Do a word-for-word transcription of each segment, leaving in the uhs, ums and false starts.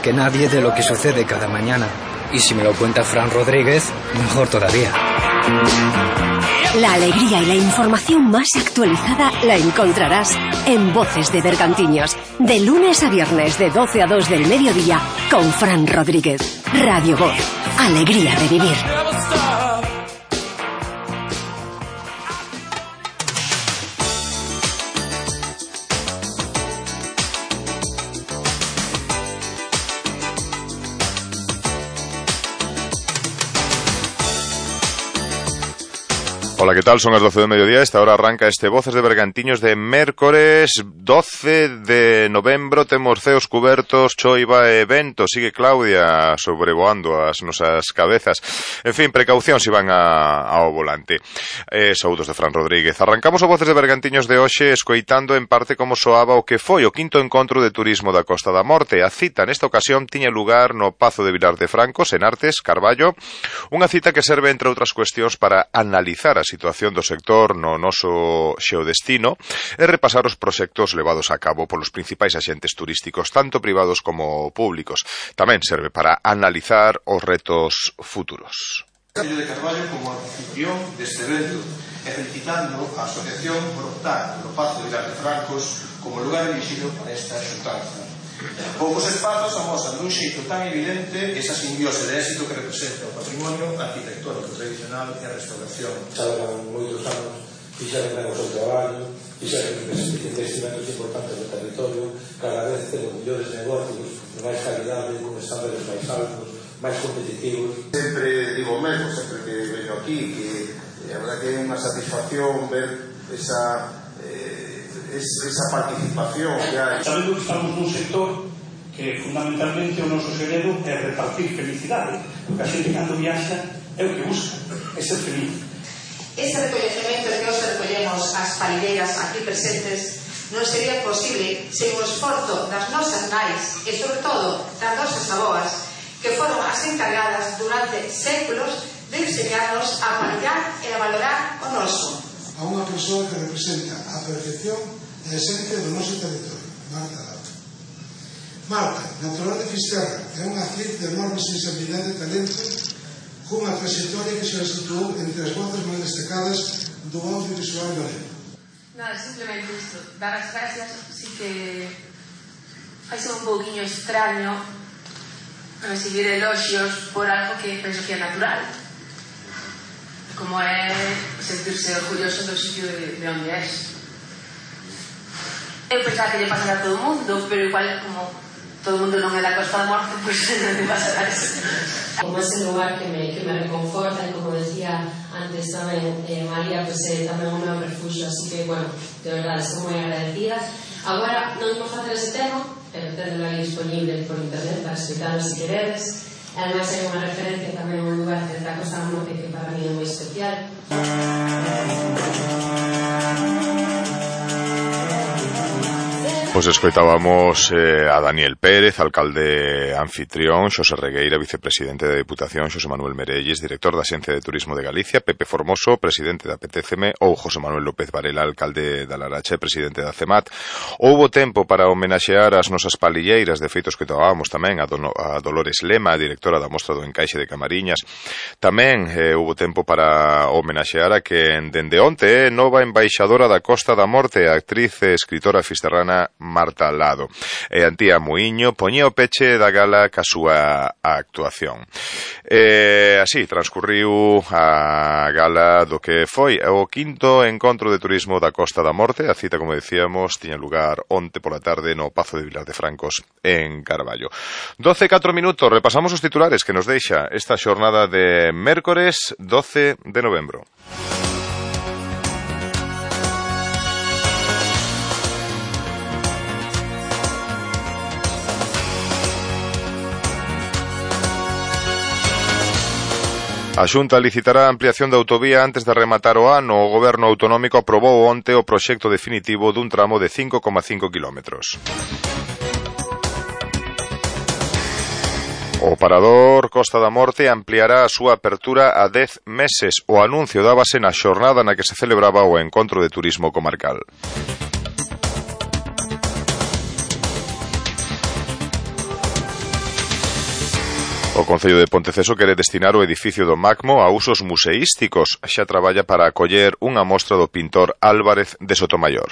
que nadie de lo que sucede cada mañana. Y si me lo cuenta Fran Rodríguez, mejor todavía. La alegría y la información más actualizada la encontrarás en Voces de Bergantiños, de lunes a viernes de doce a dos del mediodía, con Fran Rodríguez. Radio Voz, alegría de vivir. Hola, ¿qué tal? Son las doce del mediodía. Esta hora arranca este Voces de Bergantiños de mércores doce de novembro. Temos ceos cubertos, choiva e vento. Sigue Claudia sobrevoando as nosas cabezas. En fin, precaución se van a, ao volante. Eh, saúdos de Fran Rodríguez. Arrancamos o Voces de Bergantiños de hoxe escoitando en parte como soaba o que foi o quinto encontro de turismo da Costa da Morte. A cita nesta ocasión tiña lugar no Pazo de Vilar de Francos, en Artes, Carballo. Unha cita que serve, entre outras cuestións, para analizar a situación do sector no noso xeodestino e repasar os proxectos levados a cabo polos principais axentes turísticos, tanto privados como públicos. Tamén serve para analizar os retos futuros. Concello de Carballo como anfitrión deste evento e felicitando a asociación por optar polo Pazo de Vilar de Francos como lugar elixido para esta xuntanza. Poucos espazos amosan dun xeito tan evidente esa simbiose de éxito que representa o patrimonio arquitectónico tradicional e a restauración. Xa levan moitos anos, fixaron ben o seu traballo, fixaron investimentos importantes do territorio, cada vez temos mellores negocios, de máis calidade, con estándares máis altos, máis competitivos. Sempre digo mesmo, sempre que veño aquí, que a verdad que é unha satisfacción ver esa... esa participación que hai. Sabendo que estamos nun sector que fundamentalmente o noso segredo é repartir felicidade, porque a xente cando viaxa é o que busca, é ser feliz. Ese recollecemento que hoxe recollemos as palilleiras aquí presentes non sería posible sen o esforzo das nosas nais e sobre todo das nosas aboas, que foron as encargadas durante séculos de enseñarnos a palillar e a valorar o noso. A unha persoa que representa a perfección e a esencia do noso territorio, Marta Lado. Marta, natural de Fisterra, é unha actriz de enorme sensibilidade e talento, cunha trayectoria que se situou entre as voces máis destacadas do audiovisual galego. Nada, simplemente isto, dar as gracias, sí que vai ser un pouquinho extraño recibir elogios por algo que penso que é natural, como é sentirse orgulloso do sitio de, de onde és. Eu pensaba que lle pasara a todo o mundo, pero igual como todo o mundo non é da Costa da Morte, pois pues, non lle pasará eso. Como ese lugar que me, que me reconforta, e como decía antes tamén eh, María, pues é eh, tamén un meu refugio, así que, bueno, de verdade, estou moi agradecida. Agora non imos facer ese tema, pero tendelo aí disponible por internet para escutarlo se queredes. Ademais hai unha referencia tamén a un lugar da Costa da Morte que para mí é moi especial. Pois escoitábamos eh, a Daniel Pérez, alcalde anfitrión, Xosé Regueira, vicepresidente da Diputación, Xosé Manuel Merelles, director da Axencia de Turismo de Galicia, Pepe Formoso, presidente da P T C M, ou José Manuel López Varela, alcalde da Larache, presidente da CEMAT. Houbo tempo para homenaxear as nosas palilleiras, de feitos que tomábamos tamén a, Don, a Dolores Lema, directora da Mostra do Encaixe de Camariñas. Tamén eh, houbo tempo para homenaxear a que dende onte é eh, nova embaixadora da Costa da Morte, a actriz e escritora fisterrana Marta Lado. E Antía Muiño poñía o peche da gala ca súa actuación. E así transcurriu a gala do que foi o quinto encontro de turismo da Costa da Morte. A cita, como decíamos, tiña lugar onte pola tarde no Pazo de Vilar de Francos en Carballo. doce e catro minutos, repasamos os titulares que nos deixa esta xornada de mércores doce de novembro. A Xunta licitará a ampliación da autovía antes de rematar o ano. O Goberno autonómico aprobou onte o proxecto definitivo dun tramo de cinco coma cinco kilómetros. O Parador Costa da Morte ampliará a súa apertura a dez meses. O anuncio dábase na xornada na que se celebraba o Encontro de Turismo Comarcal. O Concello de Ponteceso quere destinar o edificio do Macmo a usos museísticos. Xa traballa para acoller unha mostra do pintor Álvarez de Sotomayor.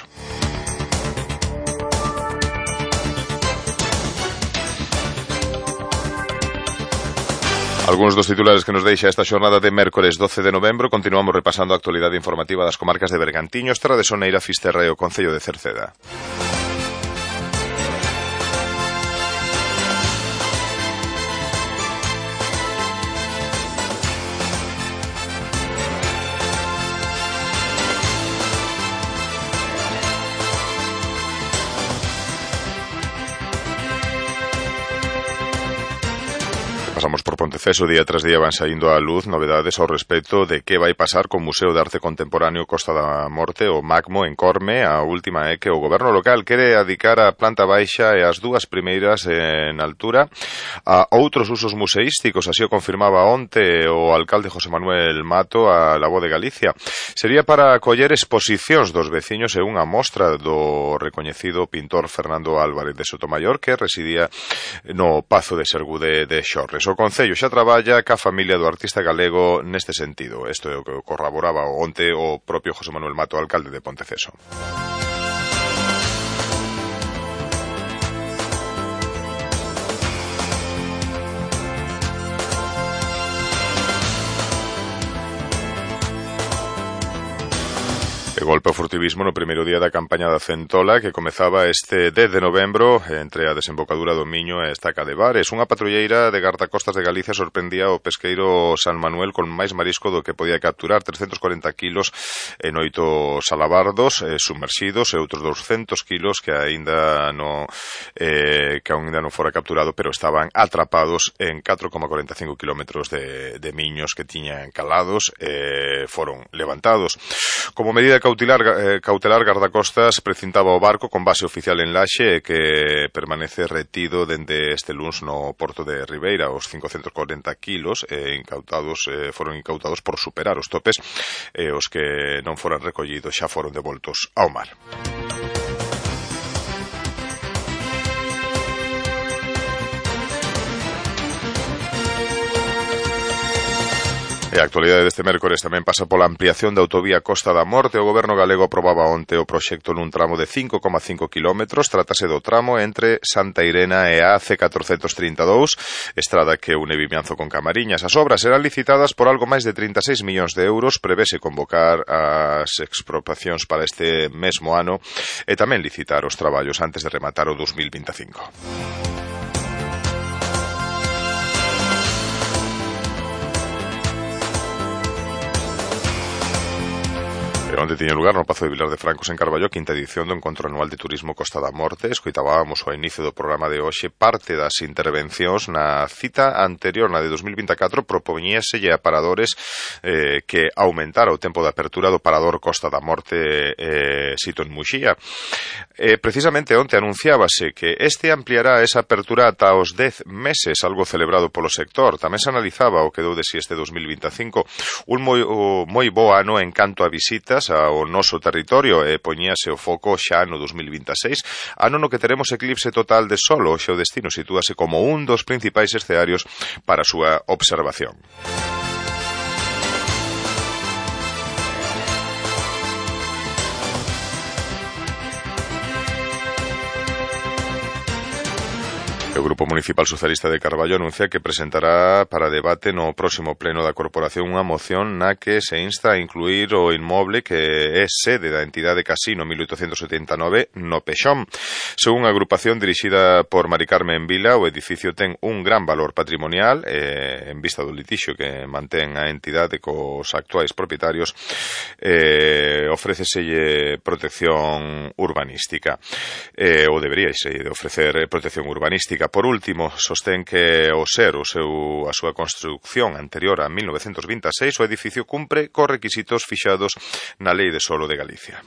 Algúns dos titulares que nos deixa esta xornada de mércores doce de novembro. Continuamos repasando a actualidade informativa das comarcas de Bergantiños, Terra de Soneira, Fisterra e o Concello de Cerceda. Pasamos por Ponteceso, día tras día van saindo á luz novedades ao respecto de que vai pasar co Museo de Arte Contemporáneo Costa da Morte, o Macmo, en Corme. A última é que o goberno local quere adicar a planta baixa e as dúas primeiras en altura a outros usos museísticos, así o confirmaba onte o alcalde José Manuel Mato a La Voz de Galicia. Sería para acoller exposicións dos veciños e unha mostra do recoñecido pintor Fernando Álvarez de Sotomayor, que residía no Pazo de Sergude de Xorres. O Concello xa traballa ca familia do artista galego neste sentido. Isto é o que corroboraba onte o propio José Manuel Mato, alcalde de Ponteceso. E golpe ao furtivismo no primeiro día da campaña da Centola, que comezaba este dez de novembro entre a desembocadura do Miño e a Estaca de Bares. Unha patrulleira de gardacostas de Galicia sorprendía o pesqueiro San Manuel con máis marisco do que podía capturar, trescentos corenta kilos en oito salabardos eh, sumerxidos e outros douscentos kilos que aínda no eh, que aínda non fora capturado, pero estaban atrapados en catro coma cuarenta e cinco kilómetros de, de miños que tiñan calados e eh, foron levantados. Como medida cautelar, eh, cautelar gardacostas precintaba o barco con base oficial en Laxe e que permanece retido dende este luns no porto de Ribeira. Os cincocentos corenta kilos eh, incautados, eh, foron incautados por superar os topes e eh, os que non foran recollidos xa foron devoltos ao mar. E a actualidade deste mércores tamén pasa pola ampliación da autovía Costa da Morte. O goberno galego aprobaba onte o proxecto nun tramo de cinco coma cinco kilómetros. Trátase do tramo entre Santa Irena e a C catrocentos trinta e dous, estrada que une Vimianzo con Camariñas. As obras serán licitadas por algo máis de trinta e seis millóns de euros. Prevese convocar as expropiacións para este mesmo ano e tamén licitar os traballos antes de rematar o dos mil vinte e cinco. Onde tiña lugar no Pazo de Vilar de Francos en Carballo, quinta edición do Encontro Anual de Turismo Costa da Morte. Escoitábamos ao inicio do programa de hoxe parte das intervencións. Na cita anterior, na de dos mil vinte e catro, propoñíaselle a paradores eh, que aumentara o tempo de apertura do parador Costa da Morte eh, sito en Muxía. Eh, precisamente onte anunciábase que este ampliará esa apertura ata os dez meses, algo celebrado polo sector. Tamén se analizaba o que deu de si este dos mil vinte e cinco un moi, o, moi bo ano en canto a visitas ao noso territorio e poñíase o foco xa no dos mil vinte e seis, ano no que teremos eclipse total de Sol. Hoxe o destino sitúase como un dos principais escenarios para a súa observación. O Grupo Municipal Socialista de Carballo anuncia que presentará para debate no próximo pleno da corporación unha moción na que se insta a incluir o inmoble que é sede da entidade Casino mil oitocentos setenta e nove no Pexón. Según a agrupación dirixida por Mari Carmen Vila, o edificio ten un gran valor patrimonial eh, en vista do litixio que mantén a entidade cos actuais propietarios. Eh, ofréceselle protección urbanística eh, ou deberíase de ofrecer protección urbanística. Por último, sostén que ao ser o seu, a súa construcción anterior a mil novecentos vinte e seis, o edificio cumpre cos requisitos fixados na Lei de Solo de Galicia.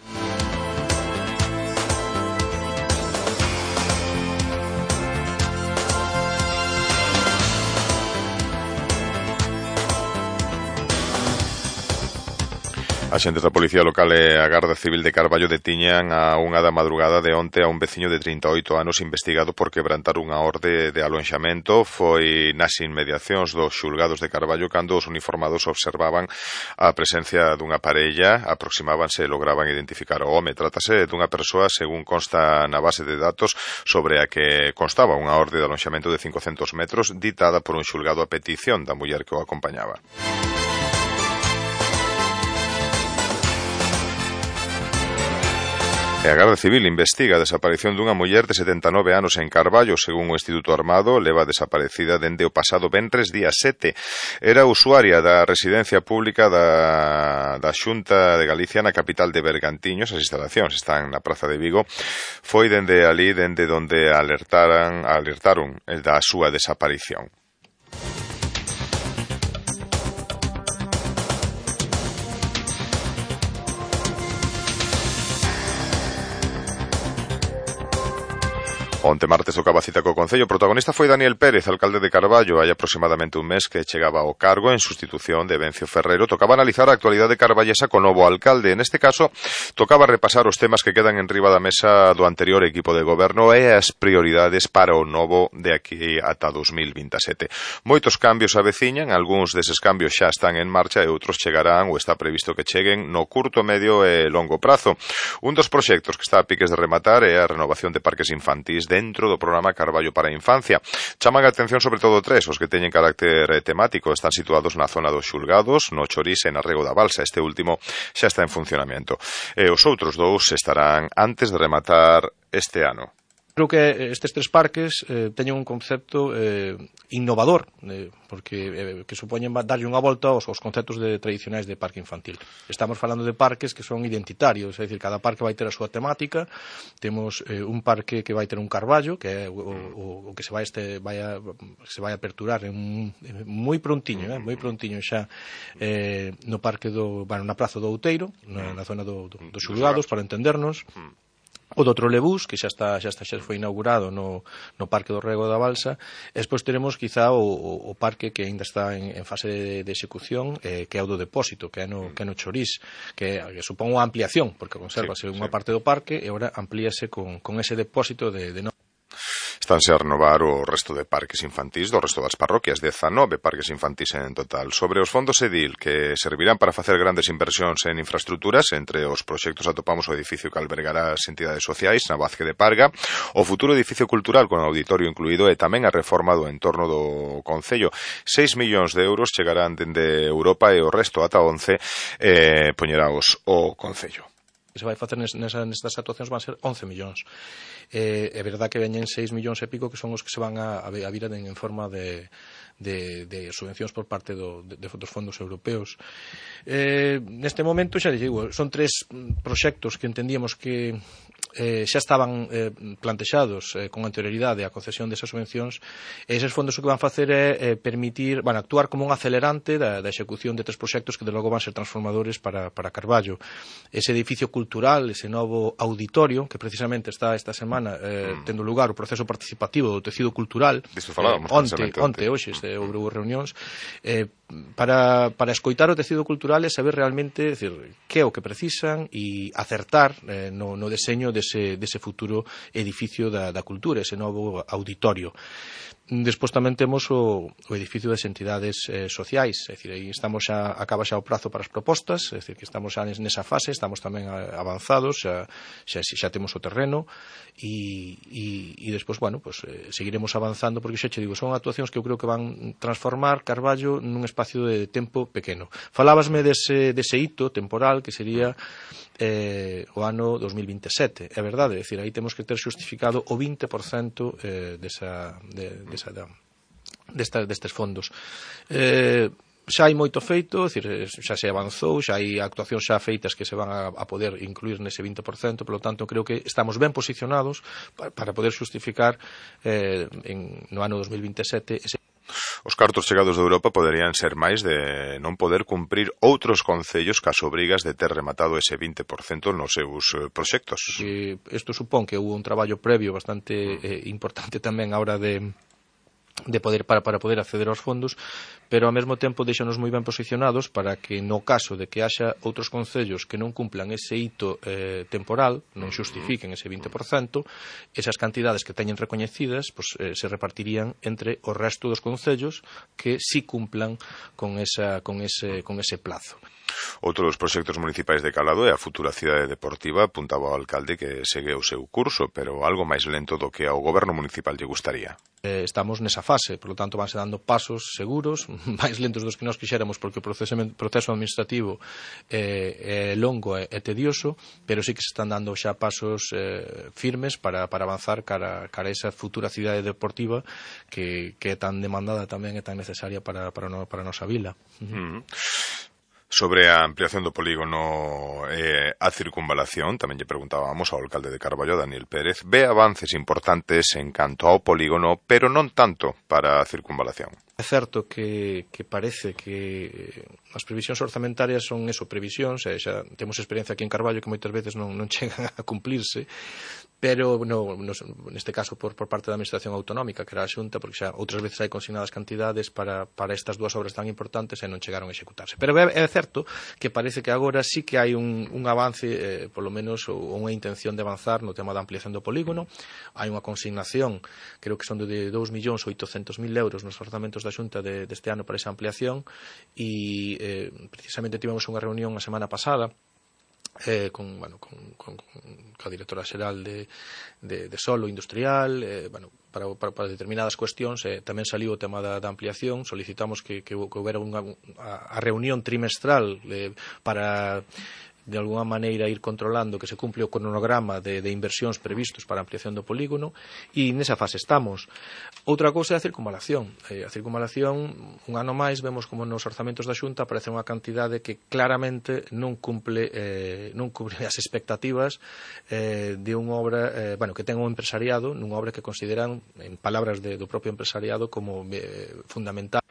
Axentes da Policía Local e a Garda Civil de Carballo detiñan a unha da madrugada de onte a un veciño de trinta e oito anos investigado por quebrantar unha orde de alonxamento. Foi nas inmediacións dos xulgados de Carballo cando os uniformados observaban a presencia dunha parella, aproximábanse e lograban identificar o home. Trátase dunha persoa, según consta na base de datos, sobre a que constaba unha orde de alonxamento de cincocentos metros ditada por un xulgado a petición da muller que o acompañaba. E a Garda Civil investiga a desaparición dunha muller de setenta e nove anos en Carballo. Según o Instituto Armado, leva desaparecida dende o pasado venres día sete. Era usuaria da residencia pública da, da Xunta de Galicia na capital de Bergantiños. As instalacións están na Praza de Vigo. Foi dende ali, dende donde alertaran, alertaron da súa desaparición. Onte martes tocaba cita co Concello. O protagonista foi Daniel Pérez, alcalde de Carballo. Hai aproximadamente un mes que chegaba ao cargo en sustitución de Bencio Ferrero. Tocaba analizar a actualidade carballesa co novo alcalde. Neste caso, tocaba repasar os temas que quedan en riba da mesa do anterior equipo de goberno e as prioridades para o novo de aquí ata dos mil vinte e sete. Moitos cambios aveciñan, algúns deses cambios xa están en marcha e outros chegarán ou está previsto que cheguen no curto, medio e longo prazo. Un dos proxectos que está a piques de rematar é a renovación de parques infantís dentro do programa Carballo para a Infancia. Chaman a atención sobre todo tres, os que teñen carácter temático. Están situados na zona dos xulgados, no Chorís e na Rego da Balsa. Este último xa está en funcionamento. E os outros dous estarán antes de rematar este ano. Creo que estes tres parques eh, teñen un concepto eh, innovador, eh, porque eh, que supoñen darlle unha volta aos, aos conceptos de, tradicionais de parque infantil. Estamos falando de parques que son identitarios, é dicir, cada parque vai ter a súa temática. Temos eh, un parque que vai ter un carballo, que é o, o, o que se vai este vai a, se vai a aperturar en, en moi prontiño, eh, moi prontiño xa eh, no parque do, bueno, na Praza do Outeiro, na, na zona do, do, dos xulgados, para entendernos. O do Trolebús, que xa está xa está xa foi inaugurado no, no Parque do Rego da Balsa. E despois teremos quizá o, o, o parque que ainda está en, en fase de, de execución, eh, que é o do Depósito, que é no, que é no Chorís, que, que supón unha ampliación, porque consérvase sí, unha sí. parte do parque e agora amplíase con, con ese depósito de, de no... Estánse a renovar o resto de parques infantís do resto das parroquias, dezanove parques infantís en total. Sobre os fondos EDIL, que servirán para facer grandes inversións en infraestructuras, entre os proxectos atopamos o edificio que albergará as entidades sociais na Vázquez de Parga, o futuro edificio cultural con auditorio incluído e tamén a reforma do entorno do Concello. seis millóns de euros chegarán dende Europa e o resto ata once eh, poñeraos o Concello. Que se vai facer nesas, nestas actuacións van ser once millóns. Eh, é verdad que veñen seis millóns e pico que son os que se van a, a vir en, en forma de, de, de subvencións por parte do, de, de, dos fondos europeos. Eh, neste momento, xa digo, son tres proxectos que entendíamos que eh, xa estaban eh, plantexados eh, con anterioridade a concesión desas subvencións, e eses fondos o que van facer é eh, permitir, van actuar como un acelerante da, da execución de tres proxectos que de logo van ser transformadores para, para Carballo. Ese edificio cultural, ese novo auditorio, que precisamente está esta semana eh, mm. tendo lugar o proceso participativo do tecido cultural, eh, onte, onte, hoxe, este, houve reunións, eh, para, para escoitar o tecido cultural e saber realmente, decir, que é o que precisan e acertar eh, no, no deseño dese, dese futuro edificio da, da cultura, ese novo auditorio. Despois tamén temos o, o edificio das entidades eh, sociais, é dicir, aí estamos xa, acaba xa o prazo para as propostas, é dicir, que estamos xa nesa fase, estamos tamén avanzados, xa, xa, xa temos o terreno e, e, e despois, bueno, pues, eh, seguiremos avanzando, porque xa che digo, son actuacións que eu creo que van transformar Carballo nun espacio de tempo pequeno. Falábasme dese, dese hito temporal que sería eh, o ano dos mil vinte e sete, é verdade, é dicir, aí temos que ter xustificado o vinte por cento eh, desa, de, desa, da, desta, destes fondos. Eh, xa hai moito feito, é dicir, xa se avanzou, xa hai actuacións xa feitas que se van a, a poder incluir nese vinte por cento, polo tanto, creo que estamos ben posicionados para, para poder xustificar eh, en, no ano dos mil vinte e sete ese. Os cartos chegados de Europa poderían ser máis de non poder cumprir outros concellos cas obrigas de ter rematado ese vinte por cento nos seus proxectos. Isto supón que houve un traballo previo bastante eh, importante tamén a hora de de poder para, para poder acceder aos fondos, pero ao mesmo tempo deixanos moi ben posicionados para que no caso de que haxa outros concellos que non cumplan ese hito eh, temporal, non xustifiquen ese vinte por cento, esas cantidades que teñen recoñecidas pues, eh, se repartirían entre o resto dos concellos que sí cumplan con, esa, con, ese, con ese plazo. Outro dos proxectos municipais de Calado é a futura cidade deportiva. Apuntaba o alcalde que segue o seu curso, pero algo máis lento do que ao goberno municipal lle gustaría. Eh, estamos nesa fase, por lo tanto vanse dando pasos seguros, máis lentos dos que nós quixéramos, porque o proceso, proceso administrativo eh, é longo e é tedioso, pero sí que se están dando xa pasos eh, firmes para, para avanzar cara, cara a esa futura cidade deportiva que, que é tan demandada tamén e tan necesaria para, para, no, para a nosa vila. Uh-huh. Mm. Sobre a ampliación do polígono e eh, a circunvalación, tamén lle preguntábamos ao alcalde de Carballo, Daniel Pérez, ve avances importantes en canto ao polígono, pero non tanto para a circunvalación. É certo que, que parece que as previsións orzamentarias son eso, previsións, e xa temos experiencia aquí en Carballo que moitas veces non, non chegan a cumplirse, pero no, no, neste caso por, por parte da Administración Autonómica, que era a Xunta, porque xa outras veces hai consignadas cantidades para, para estas dúas obras tan importantes e non chegaron a executarse. Pero é, é certo que parece que agora sí que hai un, un avance, eh, polo menos, ou unha intención de avanzar no tema da ampliación do polígono. Hai unha consignación, creo que son de dous millóns oitocentos mil euros nos orzamentos da Xunta de, deste ano para esa ampliación, e eh, precisamente tivemos unha reunión a semana pasada Eh, con, bueno, con, con, con a directora xeral de, de, de solo industrial, eh, bueno, para, para, para determinadas cuestións, eh, tamén saliu o tema da, da ampliación. Solicitamos que, que, que houbera unha, a, a reunión trimestral eh, para de alguna maneira ir controlando que se cumple o cronograma de, de inversións previstos para a ampliación do polígono, e nesa fase estamos. Outra cousa é a circunvalación. Eh, a circunvalación, un ano máis, vemos como nos orzamentos da Xunta aparece unha cantidade que claramente non cumple eh, non cumpre as expectativas eh, de unha obra eh, bueno, que ten un empresariado, nunha obra que consideran, en palabras de, do propio empresariado, como eh, fundamental.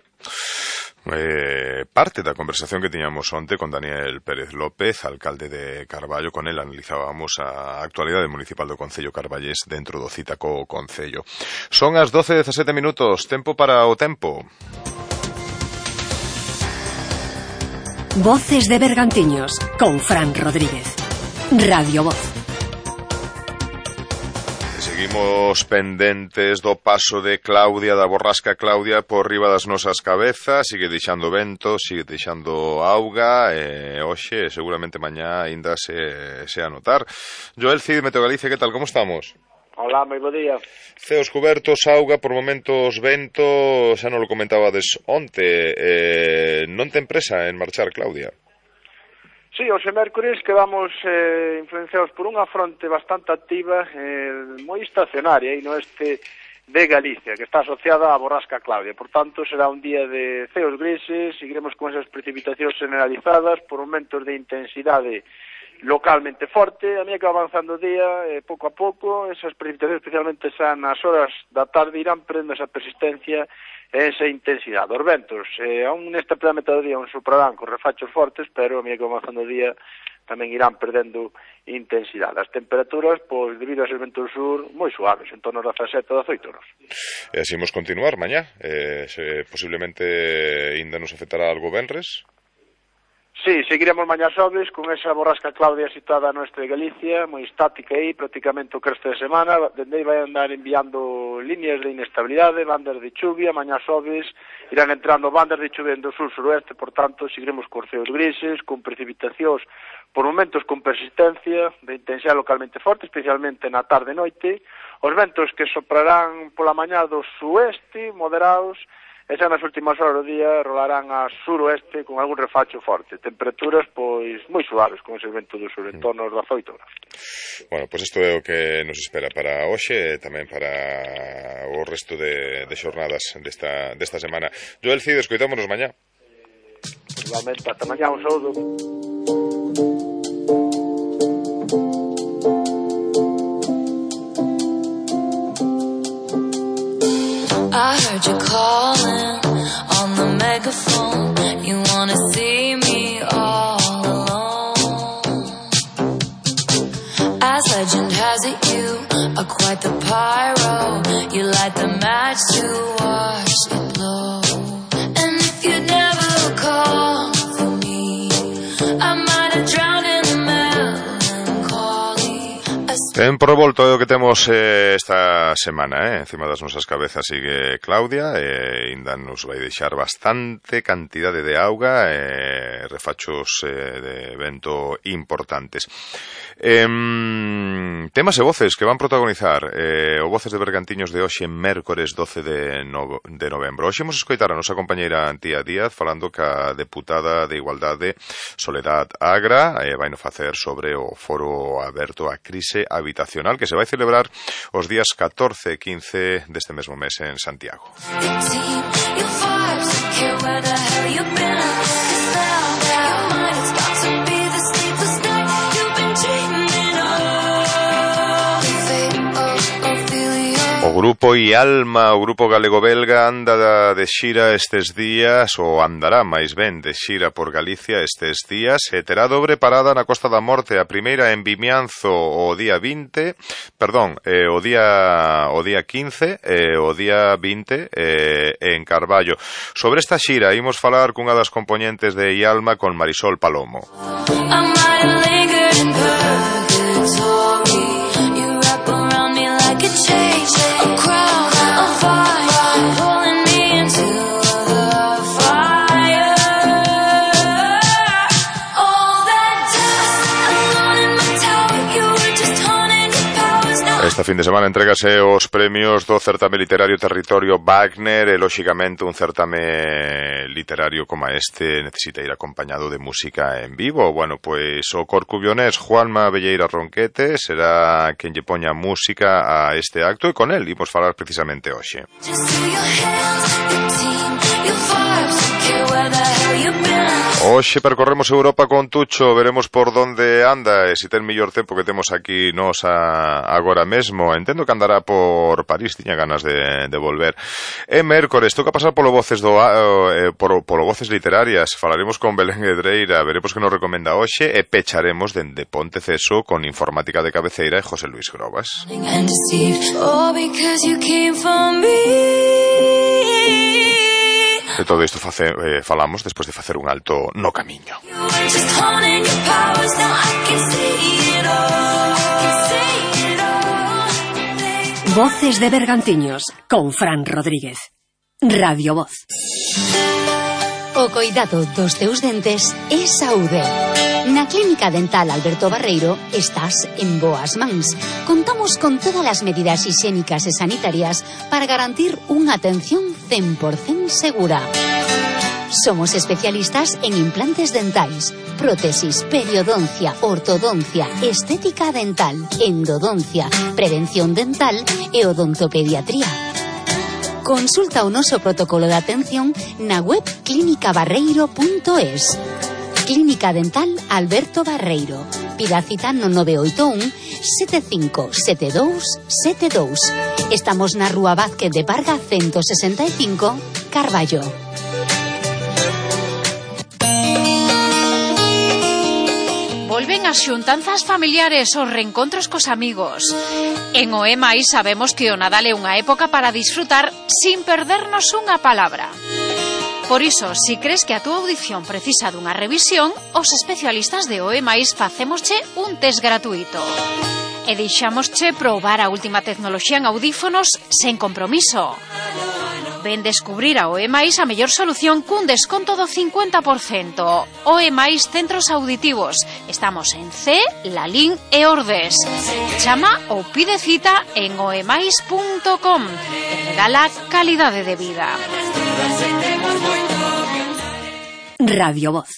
Eh, parte da conversación que tiñamos onte con Daniel Pérez López, alcalde de Carballo. Con el analizábamos a actualidade municipal do Concello Carballés dentro do cita co Concello. Son as doce e dezasete minutos, tempo para o tempo. Voces de Bergantiños con Fran Rodríguez. Radio Voz. Seguimos pendentes do paso de Claudia, da borrasca Claudia, por riba das nosas cabezas. Sigue deixando vento, sigue deixando auga, e hoxe, seguramente mañá, ainda se, se a notar. Joel Cid, Meteo Galicia, que tal, como estamos? Hola, moi bo día. Ceos cubertos, auga, por momentos vento, xa non lo comentabades onte. Eh, non ten presa en marchar, Claudia? Sí, hoxe mércores quedamos eh, influenciados por unha fronte bastante activa, eh, moi estacionaria aí no este de Galicia, que está asociada á borrasca Claudia. Por tanto, será un día de ceos grises, seguiremos con esas precipitacións generalizadas por momentos de intensidade localmente forte. A medida que va avanzando o día, eh, pouco a pouco, esas precipitacións, especialmente xa nas horas da tarde, irán prendendo esa persistencia e esa intensidade. Os ventos, eh, aún nesta primeira metade do día, un soprarán con refachos fortes, pero a medida que va avanzando o día, tamén irán perdendo intensidade. As temperaturas, pois, debido a ser vento do sur, moi suaves, en torno a dezasete a dezoito graus. E así imos continuar mañá, eh, se posiblemente ainda nos afectará algo venres. Sí, seguiremos mañá xoves con esa borrasca Claudia situada no oeste de Galicia, moi estática aí, prácticamente o resto de semana. Dende aí vai andar enviando líneas de inestabilidade, bandas de chuvia. Mañá xoves irán entrando bandas de chuvia do sur-suroeste, por tanto, seguiremos con ceos grises, con precipitacións por momentos con persistencia de intensidade localmente forte, especialmente na tarde e noite. Os ventos que soprarán pola mañá do sueste, moderados, e xa nas últimas horas do día rolarán a suroeste con algún refacho forte. Temperaturas, pois, moi suaves con ese vento do sur, en torno aos dezoito graus. Bueno, pois isto é o que nos espera para hoxe e tamén para o resto de, de xornadas desta, desta semana. Joel Cid, escoitámonos mañá. Igualmente, ata mañá, un saúdo. I heard you calling on the megaphone. You wanna see me all alone. As legend has it, you are quite the pyro. You light the match to watch Tempo revolto é o que temos eh, esta semana, eh? Encima das nosas cabezas sigue Claudia e eh, ainda nos vai deixar bastante cantidade de auga e eh, refachos eh, de vento importantes. Eh, temas e voces que van protagonizar eh, o Voces de Bergantiños de hoxe, mércores doce de, no, de novembro. Hoxe imos escoitar a nosa compañeira Antía Díaz falando ca deputada de Igualdade Soledad Agra, eh, vai no facer sobre o foro aberto a crise habitacional que se vai celebrar os días catorce e quince deste mesmo mes en Santiago. O grupo Ialma, o grupo galego-belga, anda de xira estes días, ou andará máis ben de xira por Galicia estes días, e terá dobre parada na Costa da Morte, a primeira en Vimianzo o día vinte, perdón, eh, o día o día quince e o día vinte eh, en Carballo. Sobre esta xira imos falar cunha das componentes de Ialma con Marisol Palomo. Esta fin de semana entrégase os premios do certame literario Territorio Wagner e, lóxicamente, un certame literario como este necesita ir acompañado de música en vivo. Bueno, pois o corcubionés Juanma Velleira Ronquete será quen lle poña música a este acto e con el imos falar precisamente hoxe. Hoxe percorremos Europa con Tucho, veremos por donde anda e se ten mellor tempo que temos aquí nos a, agora mesmo. Entendo que andará por París, tiña ganas de, de volver. É mércores, toca pasar polo Voces do eh, polo, polo Voces Literarias. Falaremos con Belén Edreira, veremos que nos recomenda hoxe e pecharemos dende Ponteceso con Informática de Cabeceira e José Luis Grobas. De todo isto face, eh, falamos despois de facer un alto no camiño. Voces de Bergantiños con Fran Rodríguez. Radio Voz. O coidado dos teus dentes é saúde. Na Clínica Dental Alberto Barreiro estás en boas mans. Contamos con todas as medidas higiénicas e sanitarias para garantir unha atención cen por cento segura. Somos especialistas en implantes dentais, prótesis, periodoncia, ortodoncia, estética dental, endodoncia, prevención dental e odontopediatría. Consulta o noso protocolo de atención na web clínica barreiro punto es. Clínica Dental Alberto Barreiro. Pida cita no nove oito un sete cinco sete dous sete dous. Estamos na Rúa Vázquez de Parga ciento sesenta e cinco, Carballo. Volven as xuntanzas familiares, os reencontros cos amigos. En O E Mais sabemos que o Nadal é unha época para disfrutar sin perdernos unha palabra. Por iso, si crees que a túa audición precisa dunha revisión, os especialistas de O E Mais facémosche un test gratuito. E deixámosche probar a última tecnoloxía en audífonos sen compromiso. Ven descubrir a O E Mais a mellor solución cun desconto do cincuenta por cento. O E Mais Centros Auditivos. Estamos en C, Lalín e Ordes. Chama ou pide cita en o e mais punto com e regala calidade de vida. Radio Voz.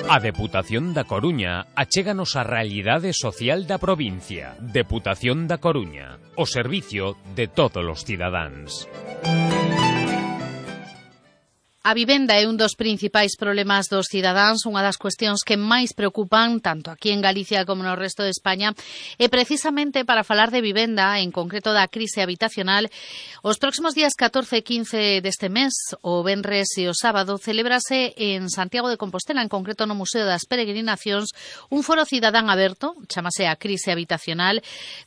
A Deputación da Coruña achéganos a realidade social da provincia. Deputación da Coruña, o servicio de todos os cidadáns. A vivenda é un dos principais problemas dos cidadáns, unha das cuestións que máis preocupan tanto aquí en Galicia como no resto de España, e precisamente para falar de vivenda, en concreto da crise habitacional, os próximos días catorce e quince deste mes, o venres e o sábado, celébrase en Santiago de Compostela, en concreto no Museo das Peregrinacións, un foro cidadán aberto, chamase a crise habitacional,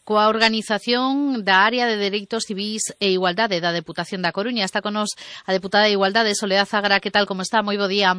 coa organización da Área de Dereitos Civís e Igualdade da Deputación da Coruña. Está con nos a deputada de Igualdade, Soledad Agra. Que tal, como está? Moi bo día.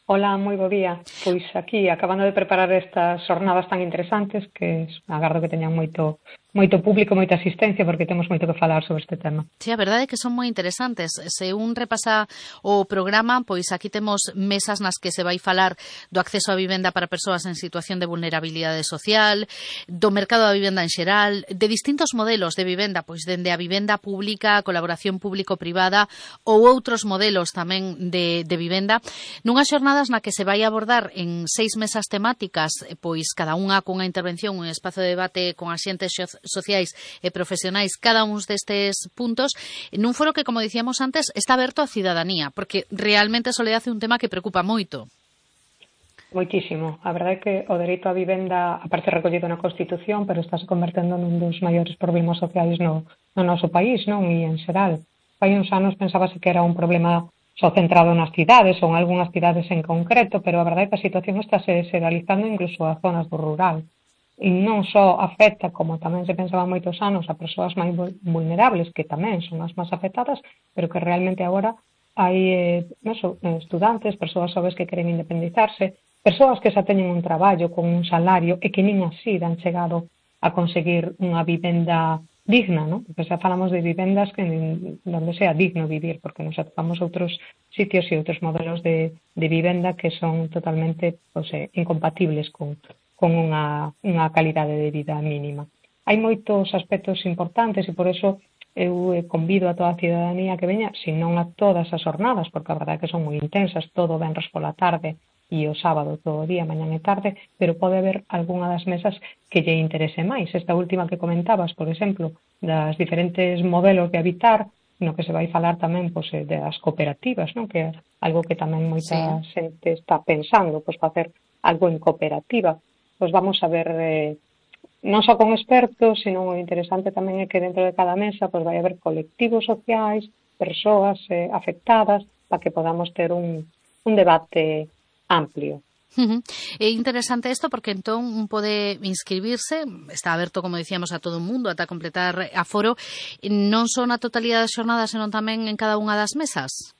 Hola, moi bo día. Pois aquí, acabando de preparar estas xornadas tan interesantes que agardo que teñan moito moito público, moita asistencia, porque temos moito que falar sobre este tema. Sí, a verdade é que son moi interesantes. Se un repasa o programa, pois aquí temos mesas nas que se vai falar do acceso á vivenda para persoas en situación de vulnerabilidade social, do mercado da vivenda en xeral, de distintos modelos de vivenda, pois dende a vivenda pública, a colaboración público-privada ou outros modelos tamén de, de vivenda, nunhas xornadas na que se vai abordar en seis mesas temáticas, pois cada unha cunha intervención, un espazo de debate con axentes sociais e profesionais, cada un destes puntos, nun foro que, como dicíamos antes, está aberto á cidadanía, porque realmente a soledade é un tema que preocupa moito. Moitísimo. A verdade é que o dereito á vivenda aparece recollido na Constitución, pero está se convertendo nun dos maiores problemas sociais no, no noso país, non? E en xeral. Hai uns anos pensábase que era un problema só centrado nas cidades ou en algunhas cidades en concreto, pero a verdade é que a situación está se generalizando incluso a zonas do rural. E non só afecta, como tamén se pensaba moitos anos, a persoas máis vulnerables, que tamén son as máis afectadas, pero que realmente agora hai eh, eso, estudantes, persoas xoves que queren independizarse, persoas que xa teñen un traballo con un salario e que nin así dan chegado a conseguir unha vivenda digna, ¿no? Porque xa falamos de vivendas que donde sea digno vivir, porque nos atopamos outros sitios e outros modelos de, de vivenda que son totalmente pues, eh, incompatibles con con unha, unha calidade de vida mínima. Hai moitos aspectos importantes e por eso eu convido a toda a cidadanía que veña, se non a todas as jornadas, porque a verdade é que son moi intensas, todo venres pola tarde e o sábado todo o día, mañán e tarde, pero pode haber algunha das mesas que lle interese máis. Esta última que comentabas, por exemplo, das diferentes modelos de habitar, no que se vai falar tamén pois, das cooperativas, non? Que é algo que tamén moita sí. xente está pensando, pois facer algo en cooperativa. Pois vamos a ver, eh, non só con expertos, sino o interesante tamén é que dentro de cada mesa pois vai haber colectivos sociais, persoas eh, afectadas, para que podamos ter un, un debate amplio. Uh-huh. É interesante isto porque entón un pode inscribirse, está aberto, como dicíamos, a todo o mundo ata completar aforo, non só na totalidade das xornadas, senón tamén en cada unha das mesas?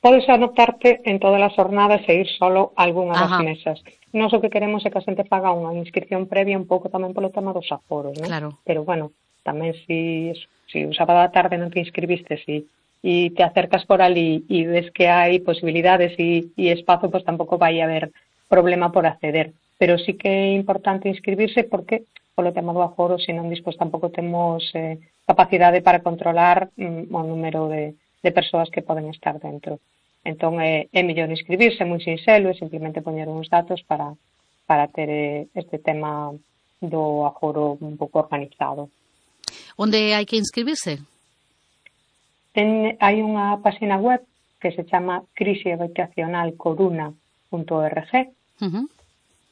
Podes anotarte en todas as jornadas e ir solo a algunha das mesas. Nós o que queremos é que a xente faga unha inscripción previa un pouco tamén polo tema dos aforos, non? Claro. Pero, bueno, tamén si, si o sábado da tarde non te inscribiste si, e te acercas por ali e ves que hai posibilidades e, e espazo, pois tampouco vai haber problema por acceder. Pero sí que é importante inscribirse porque, polo tema do aforo, se non dispois tampouco temos eh, capacidade para controlar mm, o número de, de persoas que poden estar dentro. Entón, é, é mellor inscribirse, moi sinxelo, e simplemente poñer uns datos para, para ter eh, este tema do aforo un pouco organizado. Onde hai que inscribirse? Ten, hai unha página web que se chama crise habitacional coruna punto org uh-huh.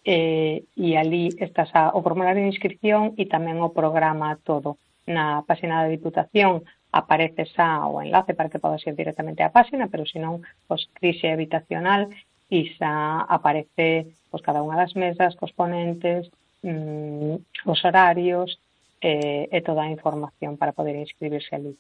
eh, e ali estás a, o formulario de inscripción e tamén o programa todo. Na página da Diputación aparece xa o enlace para que podas ir directamente á página, pero senón, pois, crise habitacional e xa aparece pois, cada unha das mesas, cos ponentes, mmm, os horarios e, e toda a información para poder inscribirse ali.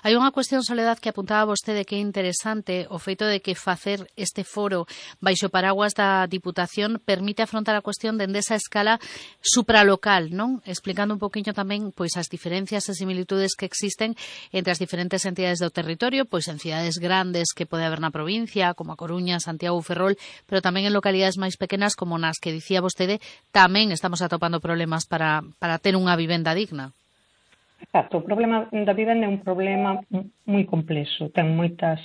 Hai unha cuestión, Soledad, que apuntaba vostede que é interesante, o feito de que facer este foro baixo paraguas da Diputación permite afrontar a cuestión dende esa escala supralocal, non? Explicando un poquinho tamén pois as diferencias e similitudes que existen entre as diferentes entidades do territorio, pois en cidades grandes que pode haber na provincia, como a Coruña, Santiago ou Ferrol, pero tamén en localidades máis pequenas como nas que dicía vostede, tamén estamos atopando problemas para, para ter unha vivenda digna. Exacto, o problema da vivenda é un problema moi complexo, ten moitas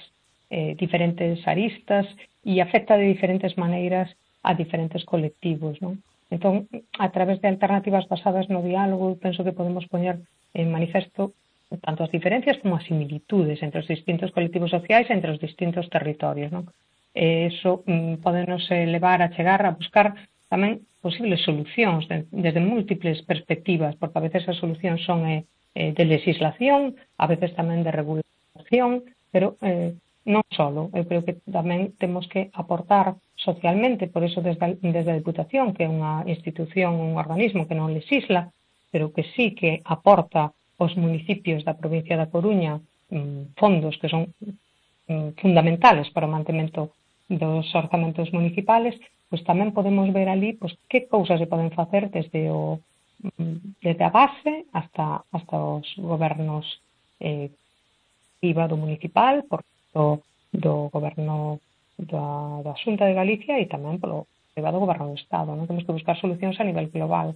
eh, diferentes aristas e afecta de diferentes maneiras a diferentes colectivos, non? Entón, a través de alternativas basadas no diálogo, penso que podemos poñer en manifesto tanto as diferencias como as similitudes entre os distintos colectivos sociais e entre os distintos territorios, non? E iso mm, podenos levar a chegar a buscar tamén posibles solucións de, desde múltiples perspectivas, porque a veces as solucións son eh, de legislación, a veces tamén de regulación, pero eh, non solo. Eu creo que tamén temos que aportar socialmente, por eso desde, desde a Diputación, que é unha institución, un organismo que non legisla, pero que sí que aporta aos municipios da provincia da Coruña mmm, fondos que son mmm, fundamentales para o mantemento dos orzamentos municipales, pois tamén podemos ver ali pois, que cousas se poden facer desde o desde a base hasta, hasta os gobernos eh, I V A do municipal, por do, do goberno da, da Xunta de Galicia e tamén polo I V A do goberno do Estado. Non temos que buscar solucións a nivel global.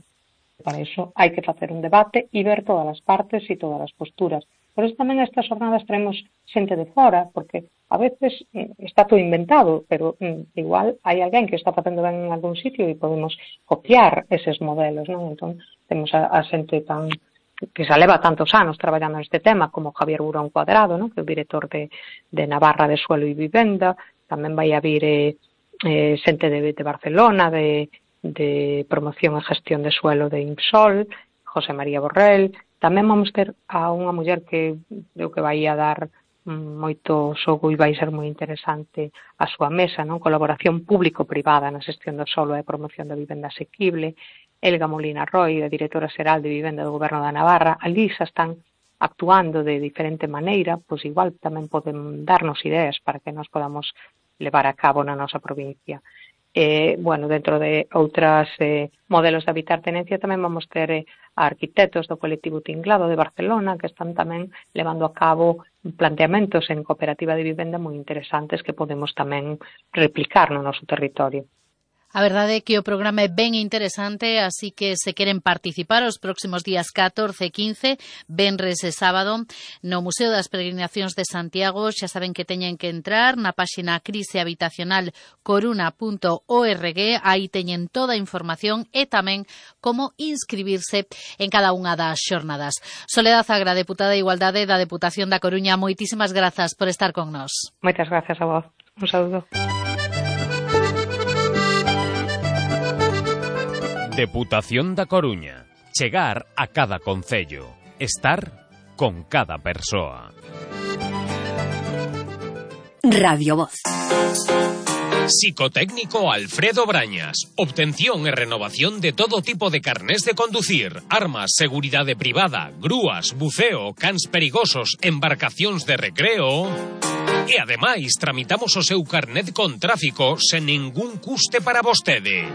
Para iso hai que facer un debate e ver todas as partes e todas as posturas. Por iso tamén estas jornadas traemos xente de fora, porque a veces está todo inventado, pero mm, igual hai alguén que está facendo ben en algún sitio e podemos copiar eses modelos, non? Entón, temos a, a xente tan que se leva tantos anos traballando neste tema, como Javier Burón Cuadrado, non? Que é o director de, de Navarra de Suelo e Vivenda, tamén vai a vir eh, eh, xente de, de Barcelona, de de promoción e gestión de suelo de IMSOL, José María Borrell. Tamén vamos ter a unha muller que creo que vai a dar moito xogo e vai ser moi interesante a súa mesa, non? Colaboración público-privada na xestión do solo e promoción da vivenda asequible. Elga Molina Roy, a directora xeral de vivenda do Goberno da Navarra. Ali xa están actuando de diferente maneira, pois igual tamén poden darnos ideas para que nos podamos levar a cabo na nosa provincia. Eh, bueno, dentro de outras eh, modelos de habitar tenencia tamén vamos ter eh, arquitectos do colectivo Tinglado de Barcelona que están tamén levando a cabo planteamentos en cooperativa de vivenda moi interesantes que podemos tamén replicar no noso territorio. A verdade é que o programa é ben interesante, así que se queren participar os próximos días catorce e quince, venres e sábado, no Museo das Peregrinacións de Santiago, xa saben que teñen que entrar na páxina crise habitacional coruna punto org, aí teñen toda a información e tamén como inscribirse en cada unha das xornadas. Soledad Agra, deputada de Igualdade da Deputación da Coruña, moitísimas grazas por estar con nós. Moitas gracias a vos. Un saúdo. Deputación da Coruña. Chegar a cada concello. Estar con cada persoa. Radio Voz. Psicotécnico Alfredo Brañas. Obtención e renovación de todo tipo de carnés de conducir, armas, seguridade privada, grúas, buceo, cans perigosos, embarcacións de recreo. E ademais tramitamos o seu carnet con tráfico sen ningún custe para vostede.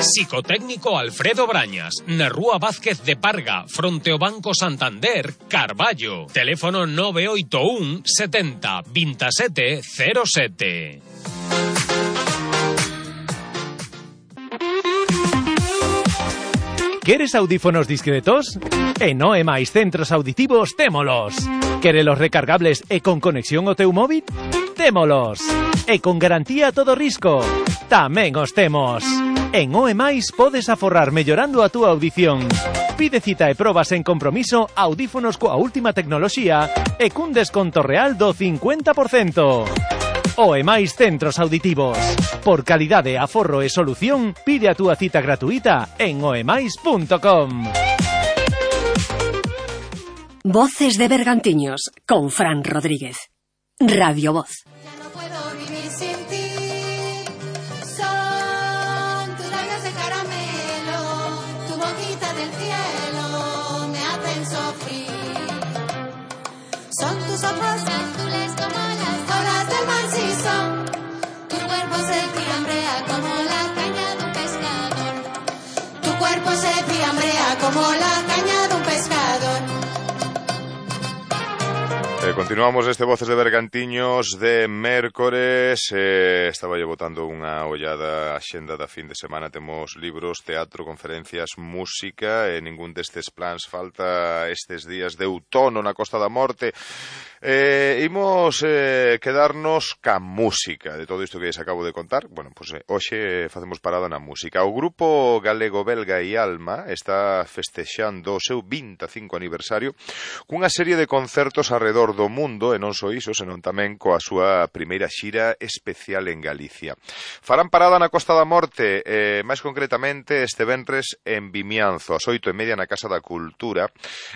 Psicotécnico Alfredo Brañas, na Rúa Vázquez de Parga, fronte ao Banco Santander, Carballo. Teléfono nove oito un setenta veintisiete cero sete. Queres audífonos discretos? En O E máis Centros Auditivos témolos. Querelos recargables e con conexión ao teu móvil? Témolos. E con garantía a todo risco? Tamén os temos. En O E máis podes aforrar mellorando a túa audición. Pide cita e probas en compromiso audífonos coa última tecnoloxía e cun desconto real do cincuenta por cento. O E máis Centros Auditivos. Por calidade, aforro e solución, pide a túa cita gratuita en o e máis punto com. Voces de Bergantiños con Fran Rodríguez. Radio Voz. Son tus ojos azules como las olas del mar, sí son. Tu cuerpo se fiambrea como la caña de un pescador. Tu cuerpo se fiambrea como la caña de un pescador. Eh, continuamos este Voces de Bergantiños de mércores. eh, Estaba lle botando unha ollada a xenda da fin de semana. Temos libros, teatro, conferencias, música, e ningún destes plans falta estes días de outono na Costa da Morte. Eh, imos eh, quedarnos ca música de todo isto que lles acabo de contar. Bueno, pois pues, eh, hoxe facemos parada na música. O grupo galego-belga e Alma está festexando o seu vinte e cinco aniversario cunha serie de concertos arredor do mundo, e non só iso, senón tamén coa súa primeira xira especial en Galicia. Farán parada na Costa da Morte, eh, máis concretamente este venres en Vimianzo, ás oito e media na Casa da Cultura,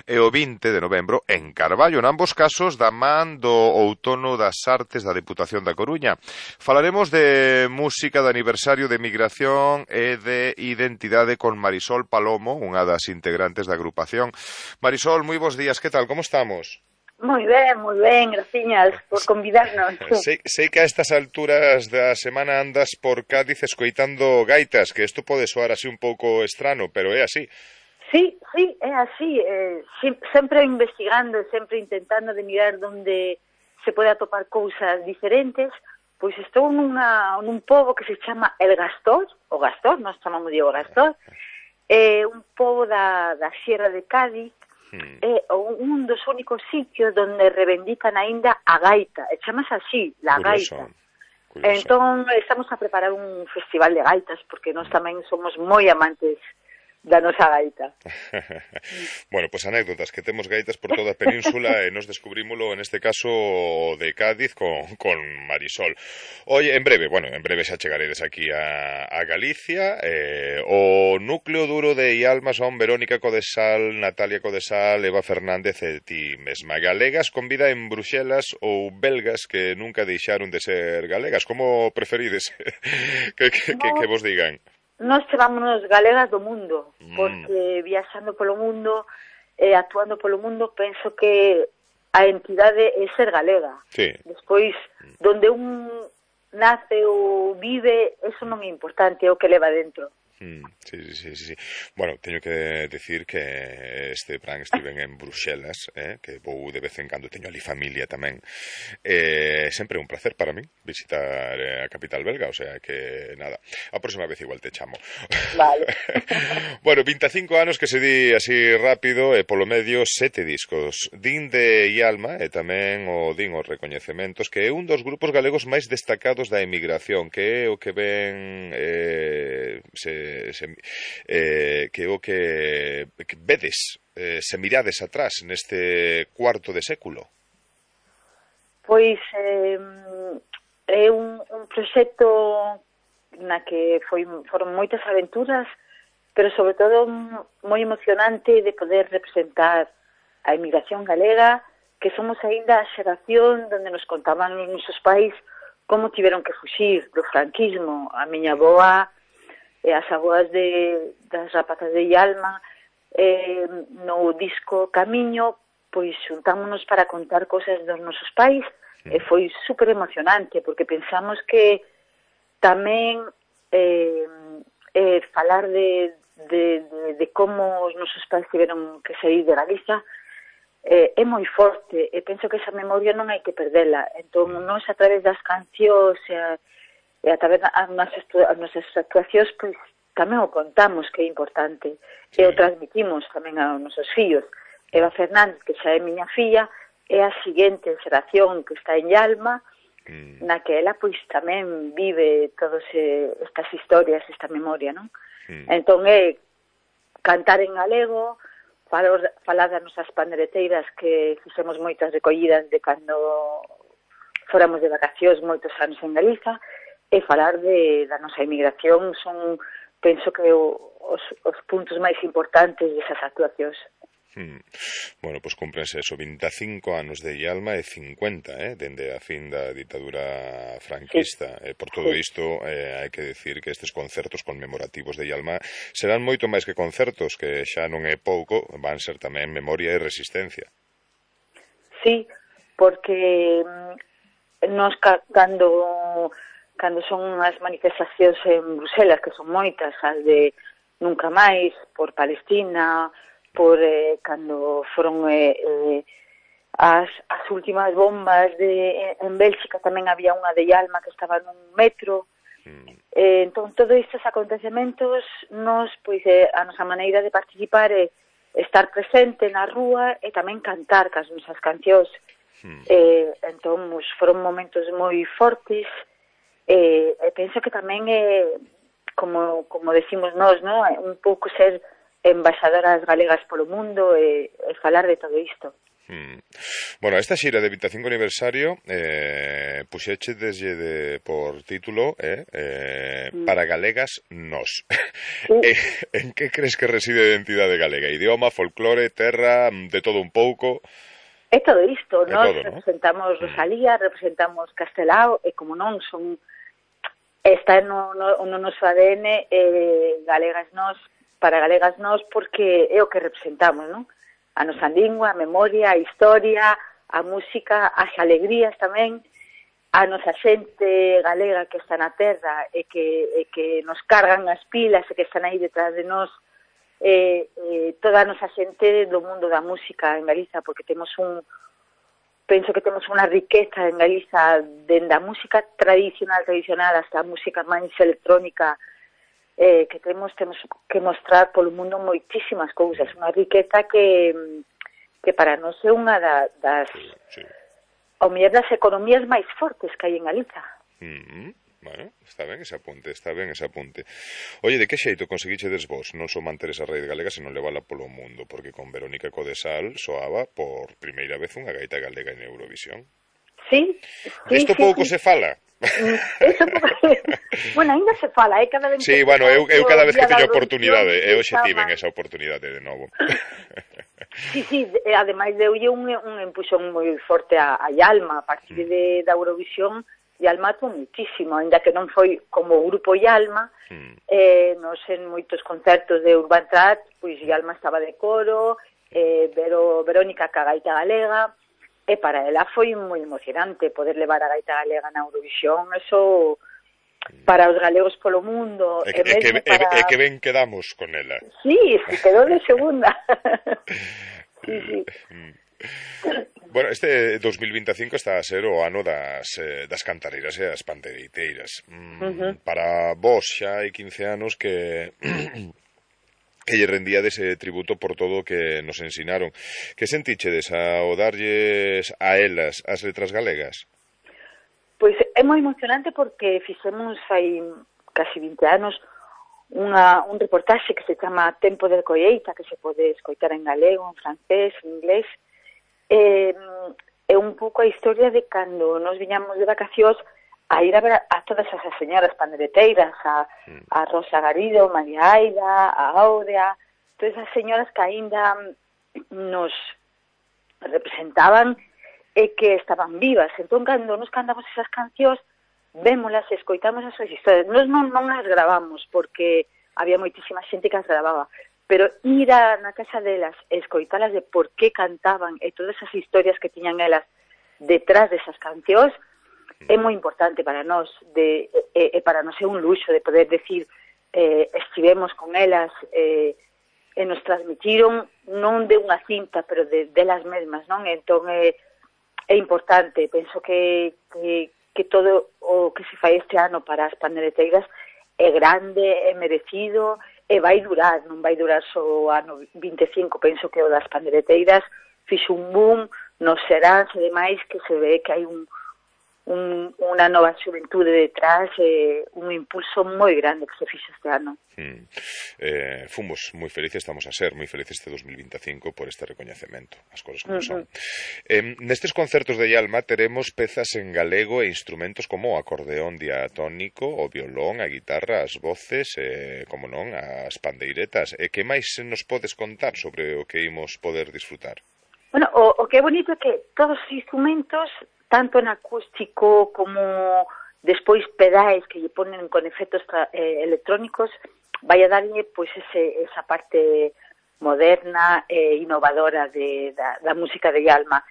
e o vinte de novembro en Carballo, en ambos casos da man do outono das artes da Deputación da Coruña. Falaremos de música de aniversario de migración e de identidade con Marisol Palomo, unha das integrantes da agrupación. Marisol, moi bons días, que tal, como estamos? Moi ben, moi ben, graciñas por convidarnos. Sei, sei que a estas alturas da semana andas por Cádiz escoitando gaitas, que isto pode soar así un pouco estrano, pero é así. Sí, sí, é así, eh, sempre investigando, sempre intentando de mirar onde se pode atopar cousas diferentes, pois estou nunha, nun pobo que se chama El Gastor, o Gastor, nós chamamos de o Gastor, é un pobo da, da Sierra de Cádiz, Hmm. é un dos únicos sitios donde reivindican aínda a gaita, e chamas así, la Curioso. gaita. Curioso. Entón, estamos a preparar un festival de gaitas, porque nós tamén somos moi amantes da nosa gaita. Bueno, pois pues anécdotas, que temos gaitas por toda a península e nos descubrímolo, en este caso, de Cádiz con, con Marisol. Oye, en breve, bueno, en breve xa chegaredes aquí a, a Galicia. Eh, o núcleo duro de Ialma son Verónica Codesal, Natalia Codesal, Eva Fernández e ti mesma. Galegas con vida en Bruxelas ou belgas que nunca deixaron de ser galegas. Como preferides que, que, que, que vos digan? Nós chamámonos galegas do mundo, porque viaxando polo mundo, eh, actuando polo mundo, penso que a entidade é ser galega. Sí. Despois, donde un nace ou vive, eso non é importante, é o que leva dentro. Mm, sí, sí, sí, sí. Bueno, teño que decir que este plan estiven en Bruxelas, eh, que vou de vez en cando, teño ali familia tamén. Eh, sempre un placer para mí visitar a capital belga, o sea que nada, a próxima vez igual te chamo. Vale. Bueno, vinte e cinco anos que se di así rápido e polo medio sete discos. Din de Ialma e tamén o din os recoñecementos que é un dos grupos galegos máis destacados da emigración, que é o que ven eh, se Se, eh, que o que, que vedes, eh, se mirades atrás neste cuarto de século? Pois eh, é un, un proxecto na que foi, foron moitas aventuras, pero sobre todo moi emocionante de poder representar a emigración galega, que somos aínda a xeración donde nos contaban os nosos pais como tiveron que fuxir do franquismo. A miña avoa e as aboas de, das rapazas de Ialma, eh, no disco Camiño, pois xuntámonos para contar cosas dos nosos pais, mm. e foi super emocionante, porque pensamos que tamén eh, eh, falar de, de, de, de como os nosos pais tiveron que sair de Galicia eh, é moi forte, e penso que esa memoria non hai que perdela. Entón, nós a través das cancións e a e a través das nosas actuacións, pois, tamén o contamos, que é importante, sí. E o transmitimos tamén aos nosos fillos. Eva Fernández, que xa é miña filla, é a seguinte xeración que está en Ialma, mm. na que ela, pois, tamén vive todas estas historias, esta memoria, non? Mm. Entón, é cantar en galego, falar, falar das nosas pandereteiras, que fixemos moitas recollidas de cando fóramos de vacacións moitos anos en Galiza, e falar de, da nosa emigración son, penso que o, os, os puntos máis importantes desas actuacións. Hmm. Bueno, pois pues cúmprense eso, vinte e cinco anos de Ialma e cincuenta, eh, dende a fin da ditadura franquista. Sí. Eh, por todo isto, eh, hai que decir que estes concertos conmemorativos de Ialma serán moito máis que concertos, que xa non é pouco, van ser tamén memoria e resistencia. Sí, porque nos cando... cando son as manifestacións en Bruxelas, que son moitas, as de Nunca Máis, por Palestina, por eh, cando foron eh, eh, as, as últimas bombas de, en Bélxica, tamén había unha de Ialma que estaba nun metro. Mm. Eh, entón, todos estes acontecementos, nos, pois, eh, a nosa maneira de participar é estar presente na rúa e tamén cantar cas nosas cancións. Mm. Eh, entón, pues, foron momentos moi fortes. E eh, penso que tamén é, como, como decimos nós, ¿no? Un pouco ser embaixadoras galegas polo mundo e, e falar de todo isto. Hmm. Bueno, esta xira de vinte e cinco aniversario eh, puxeche desde de, por título eh, eh, mm. Para Galegas Nós. Sí. eh, en que crees que reside a identidade galega? Idioma, folclore, terra, de todo un pouco? É todo isto, nós todo, representamos ¿no? Rosalía, representamos Castelao, e como non son... Está no, no, no noso A D N eh, Galegas Nós, para Galegas Nós, porque é o que representamos, non? A nosa lingua, a memoria, a historia, a música, as alegrías tamén, a nosa xente galega que está na terra e que, e que nos cargan as pilas e que están aí detrás de nós, eh, eh, toda a nosa xente do mundo da música en Galiza, porque temos un, penso que temos unha riqueza en Galiza dende a música tradicional, tradicional, hasta a música máis electrónica, eh, que temos, temos que mostrar polo mundo moitísimas cousas, unha riqueza que que para nós é unha da, das sí, sí. ao mellor das economías máis fortes que hai en Galiza. Mm-hmm. Bueno, está ben ese apunte, está ben ese apunte. Oye, de que xeito conseguichedes vos non só manter esa raíz galega, senón levala polo mundo? Porque con Verónica Codesal soaba por primeira vez unha gaita galega en Eurovisión. Sí, sí, Isto sí, pouco sí. se fala. Eso pouco... bueno, ainda se fala, eh, cada vez sí, que bueno, eu, eu cada vez que teño oportunidade, eu xe estaba... tiven esa oportunidade de novo. Sí, sí, ademais deulle un, un empuxón moi forte a, a Yalma, a partir de, da Eurovisión. Yalma atuou muitísimo, ainda que non foi como o grupo Yalma, mm. eh, nos en moitos concertos de Urban Trad, pois Yalma estaba de coro, eh, Vero, Verónica ca gaita galega, e para ela foi moi emocionante poder levar a gaita galega na Eurovisión, eso para os galegos polo mundo. E, e, que, para... e, e que ben quedamos con ela. Sí, se quedou de segunda. Sí, sí. Bueno, este dos mil vinte e cinco está a ser o ano das, eh, das cantareiras e das panderiteiras. Mm, uh-huh. Para vos xa hai quince anos que que lle rendíades ese tributo por todo o que nos ensinaron. Que sentichedes ao darlles a elas as letras galegas? Pois é moi emocionante porque fixemos hai casi vinte anos unha, un reportaxe que se chama Tempo de colleita, que se pode escoitar en galego, en francés, en inglés. É, é un pouco a historia de cando nos viñamos de vacacións a ir a ver a, a todas esas señoras pandereteiras, a, a Rosa Garido, María Aida, a Áurea, todas esas señoras que aínda nos representaban e que estaban vivas. Entón, cando nos cantamos esas cancións, vémolas, escoitamos as súas historias. Nos non, non as gravamos, porque había moitísima xente que as gravaba, pero ir a, na casa delas, escoitalas de por que cantaban e todas esas historias que tiñan elas detrás desas cancións, é moi importante para nós, de, e, e para nós é un luxo de poder decir, eh, estivemos con elas, eh, e nos transmitiron non de unha cinta, pero de delas mesmas, non? Entón, é eh, é importante, penso que, que, que todo o que se fai este ano para as pandereteiras é grande, é merecido, e vai durar, non vai durar só o ano vinte e cinco, penso que o das pandereteiras fixo un boom nos seráns e demais, que se ve que hai un, un, unha nova xuventude detrás, e un impulso moi grande que se fixo este ano. Hmm. Eh, fomos moi felices, estamos a ser moi felices este dos mil vinte e cinco por este recoñecemento, as cousas como uh-huh. son. Eh, nestes concertos de Yalma teremos pezas en galego e instrumentos como o acordeón diatónico, o violón, a guitarra, as voces, e, como non, as pandeiretas. E que máis nos podes contar sobre o que imos poder disfrutar? Bueno, o, o que é bonito é que todos os instrumentos, tanto en acústico como despois pedais que lle ponen con efectos eh, electrónicos, vai a darlle pois ese, esa parte moderna e innovadora de, da, da música de Yalma.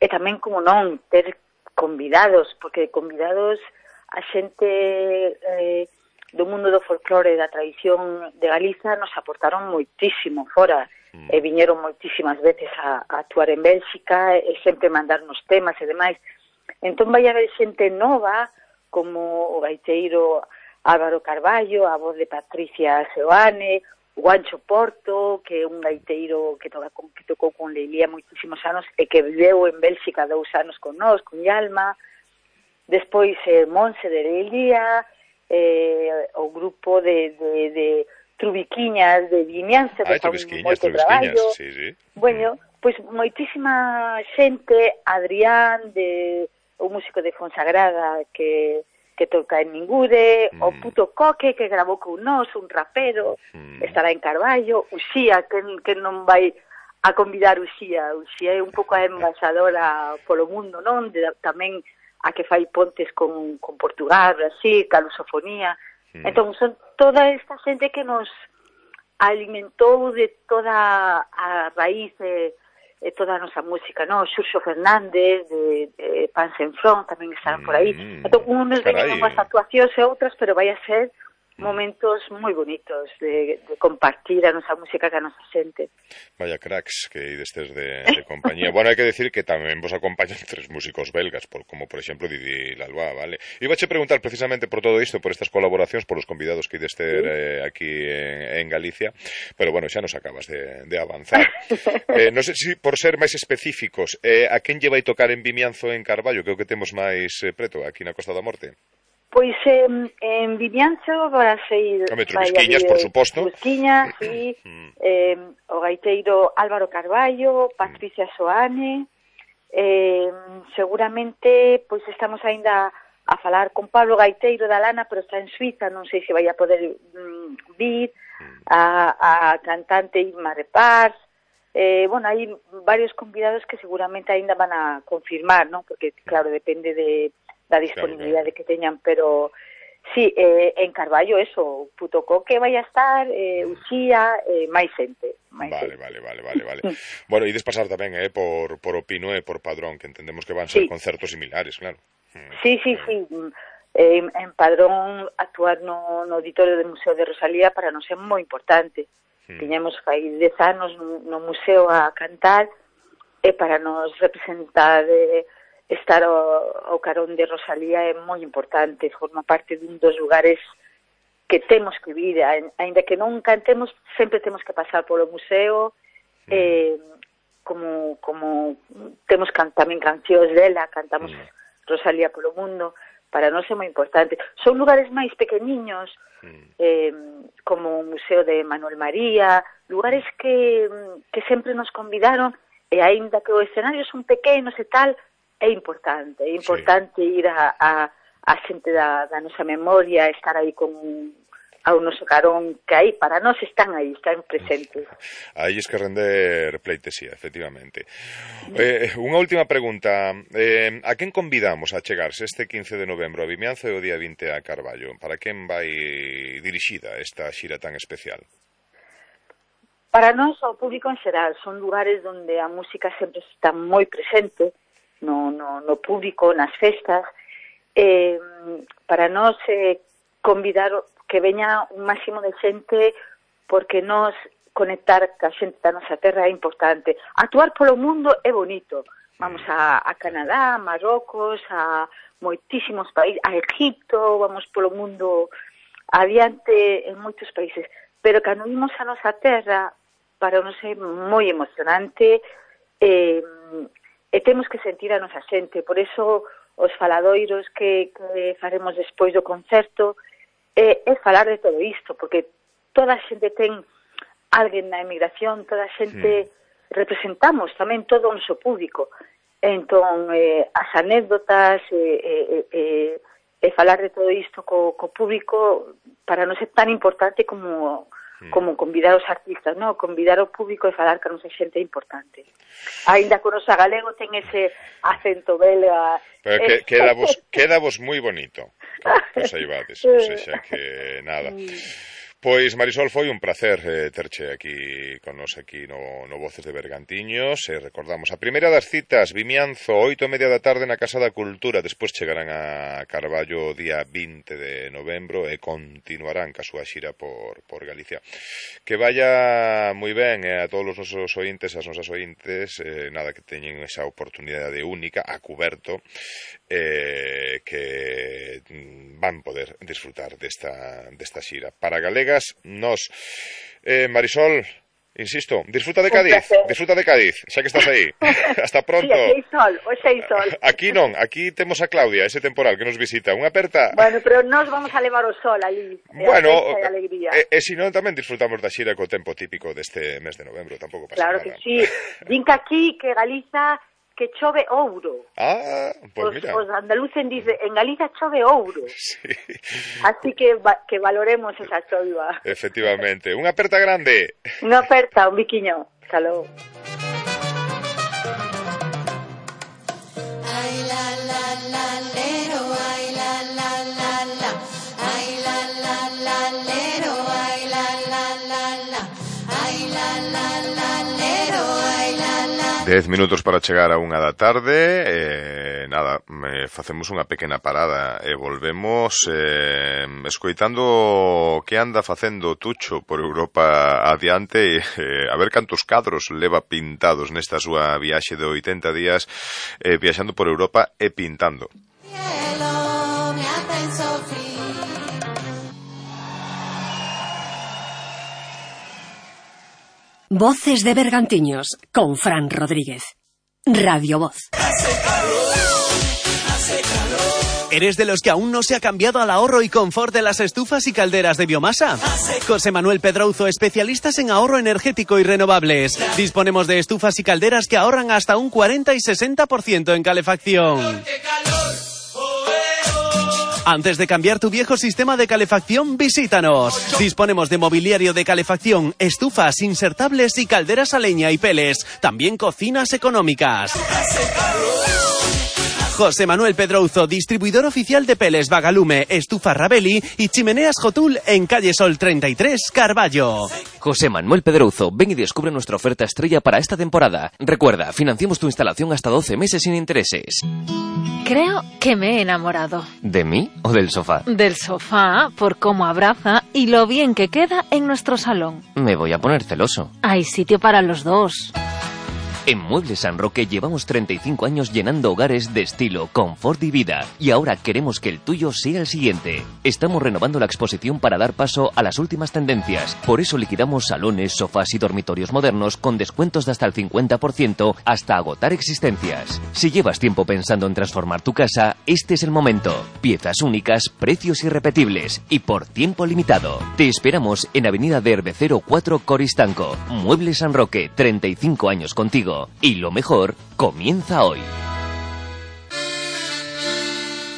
E tamén, como non, ter convidados, porque convidados a xente eh, do mundo do folclore e da tradición de Galiza nos aportaron moitísimo fora, mm. e viñeron moitísimas veces a, a actuar en Bélxica e sempre mandarnos temas e demais. Entón vai haber xente nova, como o gaiteiro Álvaro Carballo, a voz de Patricia Seoane, o Guancho Porto, que é un gaiteiro que, toca con, que tocou con Leilía moitísimos anos e que viveu en Bélxica dous anos con nós, con Yalma. Despois eh, Monse de Leilía, eh, o grupo de, de, de Trubiquiñas de Vimianza, que fan moito traballo. Sí, sí. Bueno, pois moitísima xente, Adrián, de o músico de Fonsagrada, que que toca en Ningude, mm. o Puto Coque, que grabou con nós, un rapero, mm. estará en Carballo, Uxía, que, que non vai a convidar Uxía. Uxía é un pouco a embaixadora polo mundo, non? De, tamén a que fai pontes con, con Portugal, Brasil, ca lusofonía. Mm. Entón, son toda esta xente que nos alimentou de toda a raíz e, e toda a nosa música, no? Xurxo Fernández de, de Pan Sen Front tamén estarán por aí. Mm, entón, unos carai. veñen unhas actuacións e outras, pero vai a ser momentos moi bonitos de, de compartir a nosa música que a nosa xente. Vaya cracks que ides tes de, de compañía. Bueno, hai que decir que tamén vos acompañan tres músicos belgas, por, como por exemplo Didi Lalba, vale? Ibache preguntar precisamente por todo isto, por estas colaboracións, por os convidados que ides ter eh, aquí en, en Galicia, pero bueno, xa nos acabas de, de avanzar. eh, non sei se por ser máis específicos, eh, a quen lle vai tocar en Vimianzo en Carballo, que é o que temos máis eh, preto, aquí na Costa da Morte? Pois eh, en Vimianzo vai a ser... Home, Trubisquiñas, por suposto. Trubisquiñas, sí, eh, o gaiteiro Álvaro Carballo, Patricia Soane, eh, seguramente pois estamos aínda a falar con Pablo Gaiteiro da Lana, pero está en Suiza, non sei se vai a poder mm, vir, a, a cantante Irma Repars, eh, bueno, hai varios convidados que seguramente aínda van a confirmar, non? Porque, claro, depende de... da disponibilidade que teñan, pero sí, eh, en Carballo eso, Putocó que vai a estar, eh, Uxía, eh, máis xente. Máis vale, xente. vale, vale, vale, vale. Bueno, ides pasar tamén eh, por, por Opino e por Padrón, que entendemos que van ser sí. concertos similares, claro. Sí, sí, sí. Eh, en Padrón actuar no, no auditorio do Museo de Rosalía para nos é moi importante. Hmm. Tiñamos fai dez anos no, no museo a cantar e para nos representar... Eh, estar ao, ao carón de Rosalía é moi importante, forma parte dun dos lugares que temos que vir, aínda que non cantemos, sempre temos que pasar polo museo, eh, como, como temos can, tamén cancións dela, cantamos Rosalía polo mundo, para nós é moi importante. Son lugares máis pequeniños, eh, como o Museo de Manuel María, lugares que, que sempre nos convidaron, e aínda que os escenarios son pequenos e tal, é importante, é importante sí. ir a, a, a xente da, da nosa memoria, estar aí con ao noso carón, que aí para nós están aí, están presentes. Aí es que render pleitesía, efectivamente. Eh, unha última pregunta, eh, a quen convidamos a chegarse este quince de novembro a Vimianzo e o día vinte a Carballo? Para quen vai dirixida esta xira tan especial? Para nós, ao público en xeral, son lugares onde a música sempre está moi presente, No, no, no público, nas festas, eh, para nós eh, convidar que veña un máximo de xente porque nos conectar ca xente da nosa terra é importante. Actuar polo mundo é bonito. Vamos a, a Canadá, a Marrocos, a moitísimos países, a Egipto, vamos polo mundo adiante en moitos países. Pero cando vimos a nosa terra, para nos é moi emocionante, eh, e temos que sentir a nosa xente, por iso os faladoiros que, que faremos despois do concerto é, é falar de todo isto, porque toda a xente ten alguén na emigración, toda a xente sí. representamos tamén todo o noso público, entón eh, as anécdotas e eh, eh, eh, eh, falar de todo isto co, co público para non ser tan importante como como convidar os artistas, no? Convidar o público e falar que a nosa xente é importante. Ainda que o noso galego ten ese acento belga. Pero que, queda, vos, queda vos moi bonito. Pois aí vades, o sea que nada. Pois, Marisol, foi un placer eh, terche aquí con nos aquí no, no Voces de Bergantiños. E recordamos, a primeira das citas, Vimianzo, oito e media da tarde na Casa da Cultura. Despois chegarán a Carballo o día vinte de novembro e continuarán ca súa xira por, por Galicia. Que vaya moi ben eh, a todos os nosos ointes, as nosas ointes, eh, nada, que teñen esa oportunidade única, a cuberto, eh, que van poder disfrutar desta, desta xira. Para Galega, nos, eh, Marisol, insisto, disfruta de Cádiz, disfruta de Cádiz, xa que estás aí. Hasta pronto. Sí, aquí hai sol, hoxe hai sol. Aquí non, aquí temos a Claudia, ese temporal que nos visita. Unha aperta. Bueno, pero nos vamos a levar o sol ali. Bueno, e, alegría. e, e se non tamén disfrutamos da xira co tempo típico deste mes de novembro, tampouco pasa claro nada. Claro que sí. Din que aquí que Galiza que chove ouro. Ah, pues os, mira. Os andaluces dicen, en Galiza chove ouro. Sí. Así que va, que valoremos esa choiva. Efectivamente. Unha aperta grande. Unha aperta, un biquiño. Hasta logo. Ay, la, la, la, lero, ay, la, la, la, la. Ay, la, la, la, lero, ay, la, la, la, la. Ay, la, la, la, lero, ay, la, la, la. Dez minutos para chegar a unha da tarde. eh, Nada, me facemos unha pequena parada e volvemos eh, escoitando que anda facendo Tucho por Europa adiante, eh, a ver cantos cadros leva pintados nesta súa viaxe de oitenta días, eh, viaxando por Europa e pintando. Voces de Bergantiños con Fran Rodríguez. Radio Voz. ¿Eres de los que aún no se ha cambiado al ahorro y confort de las estufas y calderas de biomasa? José Manuel Pedrouzo, especialistas en ahorro energético y renovables. Disponemos de estufas y calderas que ahorran hasta un cuarenta y sesenta por ciento en calefacción. Antes de cambiar tu viejo sistema de calefacción, visítanos. Disponemos de mobiliario de calefacción, estufas insertables y calderas a leña y peles. También cocinas económicas. José Manuel Pedrouzo, distribuidor oficial de peles Vagalume, estufa Rabelli y chimeneas Jotul en calle Sol treinta y tres, Carballo. José Manuel Pedrouzo, ven y descubre nuestra oferta estrella para esta temporada. Recuerda, financiamos tu instalación hasta doce meses sin intereses. Creo que me he enamorado. ¿De mí o del sofá? Del sofá, por cómo abraza y lo bien que queda en nuestro salón. Me voy a poner celoso. Hay sitio para los dos. En Muebles San Roque llevamos treinta y cinco años llenando hogares de estilo, confort y vida. Y ahora queremos que el tuyo sea el siguiente. Estamos renovando la exposición para dar paso a las últimas tendencias. Por eso liquidamos salones, sofás y dormitorios modernos con descuentos de hasta el cincuenta por ciento hasta agotar existencias. Si llevas tiempo pensando en transformar tu casa, este es el momento. Piezas únicas, precios irrepetibles y por tiempo limitado. Te esperamos en Avenida de Herbecero cuatro, Coristanco. Muebles San Roque, treinta y cinco años contigo. Y lo mejor comienza hoy.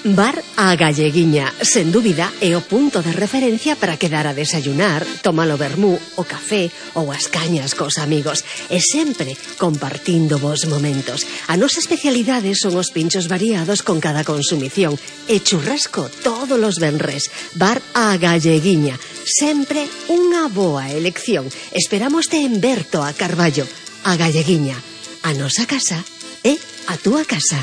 Bar a Galleguiña, sen dúbida, é o punto de referencia para quedar a desayunar, tomar o vermú, o café ou as cañas cos amigos, e sempre compartindo vos momentos. A nosa especialidade son os pinchos variados con cada consumición e churrasco todos os venres. Bar a Galleguiña, sempre unha boa elección. Esperámoste en Berto a Carballo. A Galleguiña, a nosa casa é a túa casa.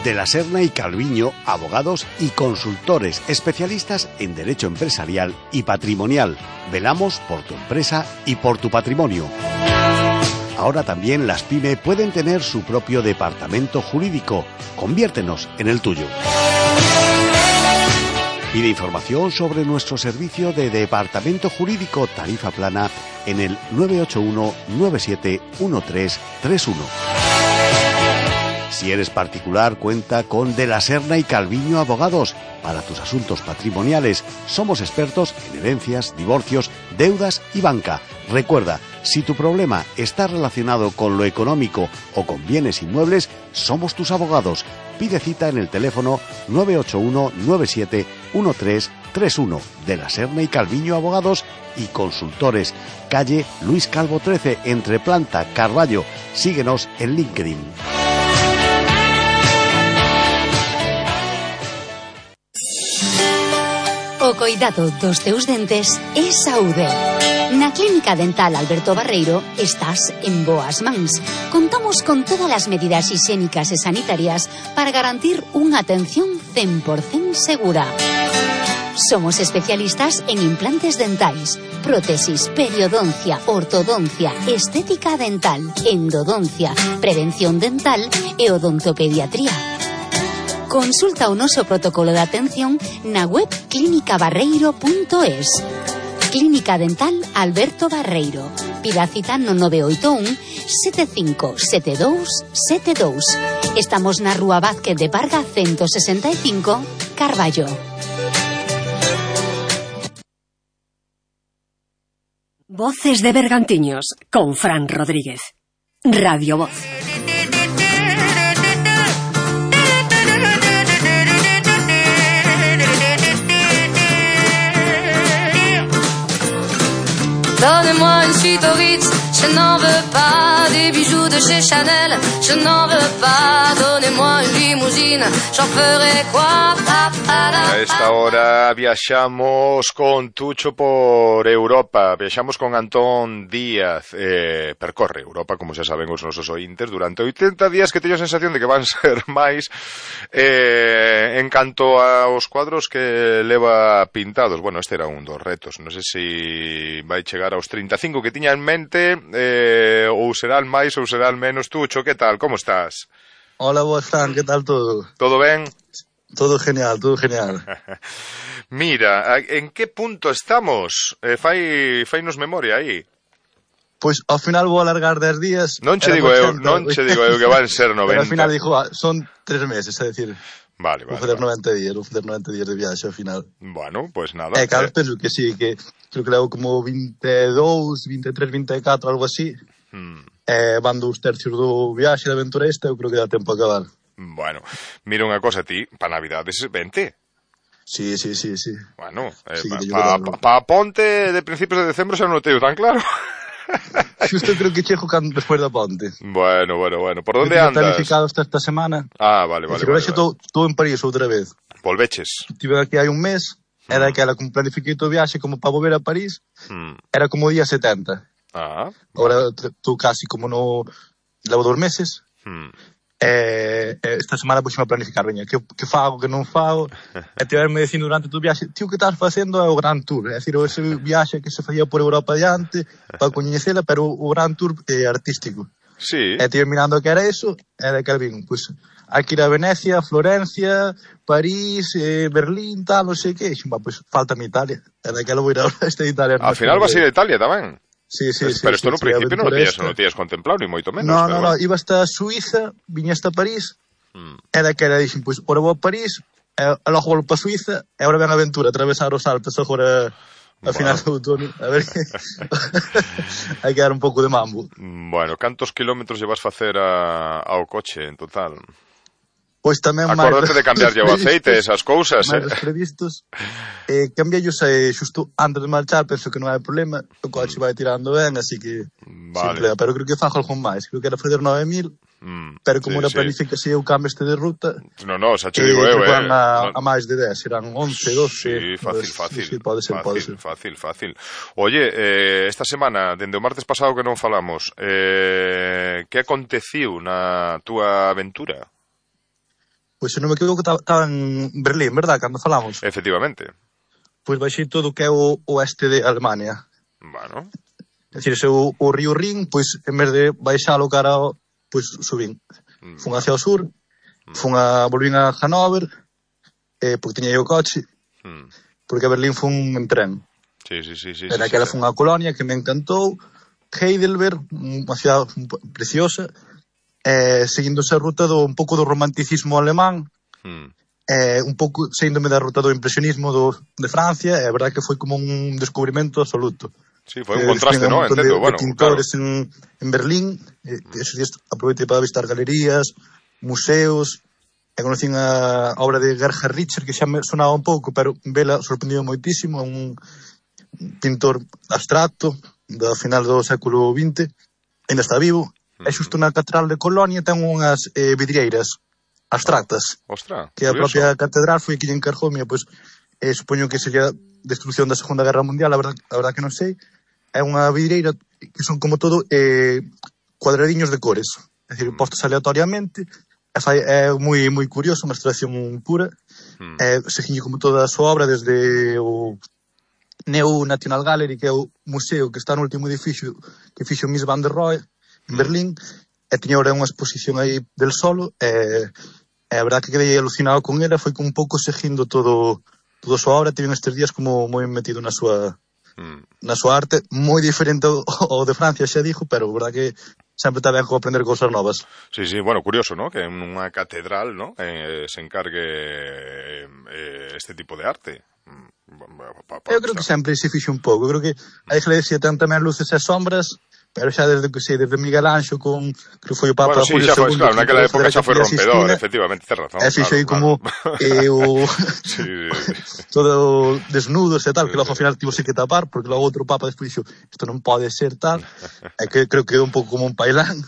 De la Serna y Calviño, abogados y consultores especialistas en derecho empresarial y patrimonial. Velamos por tu empresa y por tu patrimonio. Ahora también las PYME pueden tener su propio departamento jurídico. Conviértenos en el tuyo. Pide información sobre nuestro servicio de departamento jurídico tarifa plana en el nueve ocho uno nueve siete uno tres tres uno. Si eres particular, cuenta con De la Serna y Calviño Abogados. Para tus asuntos patrimoniales, somos expertos en herencias, divorcios, deudas y banca. Recuerda, si tu problema está relacionado con lo económico o con bienes inmuebles, somos tus abogados. Pide cita en el teléfono nueve ocho uno nueve siete uno tres tres uno. De la Serna y Calviño Abogados y Consultores. Calle Luis Calvo trece, entre Planta, Carballo. Síguenos en LinkedIn. O coidado dos teus dentes é saúde. Na Clínica Dental Alberto Barreiro estás en boas mans. Contamos con todas as medidas higiénicas e sanitarias para garantir unha atención cen por cento segura. Somos especialistas en implantes dentais, prótesis, periodoncia, ortodoncia, estética dental, endodoncia, prevención dental e odontopediatría. Consulta o noso protocolo de atención na web clínica barreiro punto es. Clínica Dental Alberto Barreiro. Pida cita no nove oito un sete cinco sete dous sete dous. Estamos na Rúa Vázquez de Parga ciento sesenta y cinco, Carballo. Voces de Bergantiños con Fran Rodríguez. Radio Voz. Donnez-moi une suite au Ritz, je n'en veux pas. Des bijoux de chez Chanel, je n'en veux pas. Donnez-moi une limousine, j'en ferai quoi? A esta hora viaxamos con Tucho por Europa, viaxamos con Antón Díaz, eh, percorre Europa, como xa saben os nosos ointes, durante oitenta días, que teño a sensación de que van ser máis, eh, en canto aos cuadros que leva pintados. Bueno, este era un dos retos, non sei se vai chegar aos trinta e cinco que tiña en mente, eh, ou serán máis ou serán menos. Tucho, que tal, como estás? Hola, boas, Fran, que tal todo? Todo ben? Todo genial, todo genial. Mira, en que punto estamos? Eh, fai, fainos memoria aí. Pois ao final vou alargar dez días. Non che digo eu, non che digo eu que van ser noventa. Pero ao final dixo, ah, son tres meses, é dicir. Vale, vale. Vou fazer vale. noventa días, vou fazer noventa días de viaxe ao final. Bueno, pois pues nada. Eh, claro, eh. penso que sí, que creo que levo como vinte e dous, vinte e tres, vinte e catro, algo así. Hmm. Eh, van dous tercios do viaxe de aventura esta, eu creo que dá tempo a acabar. Bueno, mira unha cosa, ti, pa Navidades vente. Sí, sí, sí, sí. Bueno, eh, sí, pa, pa, pa ponte de principios de decembro xa non o teño tan claro. Xusto creo que chego cando despois da ponte. Bueno, bueno, bueno. Por onde andas? Planificado esta, esta semana. Ah, vale, vale. Pero vale, xa vale. estou en París outra vez. Volveches? Estive aquí hai un mes, era aquela que planifiquei todo o viaxe como para volver a París, hmm. era como o día setenta. Ah. Ahora estou casi como no... levo dos meses. Hmm. Eh, esta semana puxeme a planificar, veña, que, que fago, que non fago, e tiverme dicindo durante todo o viaxe, tío, que estás facendo é o Grand Tour, é dicir, ese viaxe que se facía por Europa diante, para coñecela, pero o Grand Tour eh, artístico. Sí. E tive mirando que era eso, e de que vin, pois, hai que ir a Venecia, Florencia, París, eh, Berlín, tal, non sei que, e xumba, pois, falta mi Italia, e de que lo vou ir a este de Italia. Al final vas a ir a Italia tamén. Sí, sí, sí. Pero isto sí, no sí, principio non o tías, non o esta. tías contemplado, ni moito menos. No, pero no, bueno. no, iba hasta Suiza, viña hasta París, mm. era que era, dixen, pois, ora vou a París, e logo vou para Suiza, e ora ven a aventura, atravesar os Alpes agora a final do outono, a ver que hai que dar un pouco de mambo. Bueno, cantos kilómetros llevas facer a, ao coche en total? Pois tamén acordate de cambiar o aceite, esas cousas, máis eh? previstos. Eh, cambiallos eh, xusto antes de marchar, penso que non hai problema, o coche vai tirando ben, así que vale. Simple, pero creo que fago algo máis, creo que era fazer nove mil, mm, pero como sí, era planifica si sí. eu cambio este de ruta, no, no, xa che digo eh, eu, eh, a, no. a máis de dez, serán once, doce. Sí, fácil, pues, fácil. Sí, sí, pode ser, fácil, pode ser. Fácil, fácil. Oye, eh, esta semana, dende o martes pasado que non falamos, eh, que aconteciu na túa aventura? Pois se non me equivoco, estaba en Berlín, verdad, cando falamos? Efectivamente. Pois baixei todo o que é o oeste de Alemania. Bueno. É dicir, se o, o río Rin, pois, en vez de baixalo cara ao, pois, subín. Mm. Fun hacia o sur, mm. fun a, volvín a Hannover, eh, porque tiña o coche, mm. porque a Berlín fun en tren. Sí, sí, sí. sí Era sí, aquela sí, fun a Colonia, que me encantou, Heidelberg, unha cidade preciosa, eh, seguindo esa ruta do un pouco do romanticismo alemán, mm. eh, un pouco seguindome da ruta do impresionismo do, de Francia, é verdade que foi como un descubrimento absoluto. Sí, foi un eh, contraste, ¿no? Entendo, de, bueno, de pintores claro. en, en Berlín, eh, esos días aproveitei para visitar galerías, museos, e conocín a obra de Gerhard Richter, que xa me sonaba un pouco, pero vela sorprendido moitísimo, un pintor abstracto, do final do século vinte, ainda está vivo. E xusto na catedral de Colonia ten unhas eh, vidrieiras abstractas. Oh, ostra, que a propia catedral foi que lle encargou, mira, pois, eh, supoño que sería destrucción da Segunda Guerra Mundial, a verdad, a verdad que non sei. É unha vidreira que son como todo eh, cuadradiños de cores, é dicir, postos aleatoriamente. É, é moi moi curioso, unha abstracción pura. Mm. Eh, seguiño como toda a súa obra desde o Neo National Gallery, que é o museo que está no último edificio que fixo Mies van der Rohe en Berlín, e tiña ahora unha exposición aí del solo, e, e a verdad que quedei alucinado con ela, foi un pouco seguindo todo toda a súa obra, tive estes días como moi metido na súa mm. na súa arte, moi diferente ao, ao de Francia, xa dixo, pero a verdad que sempre está ben aprender cousas novas. Sí, sí, bueno, curioso, ¿no? Que en unha catedral, ¿no? Eh, se encargue eh, este tipo de arte. Pa, pa, Eu creo que sempre se fixe un pouco, eu creo que a iglesia ten tamén luces e sombras, pero xa desde que sei, desde Miguel Anxo con, que foi o Papa bueno, sí, Julio xa foi, segundo, claro, naquela época xa foi rompedor, efectivamente, tes razón. E fixo aí como eh, o sí, todo desnudos e tal, que logo ao final tivo que tapar, porque logo outro Papa despois dixo, isto non pode ser tal, e que creo que é un pouco como un pailán,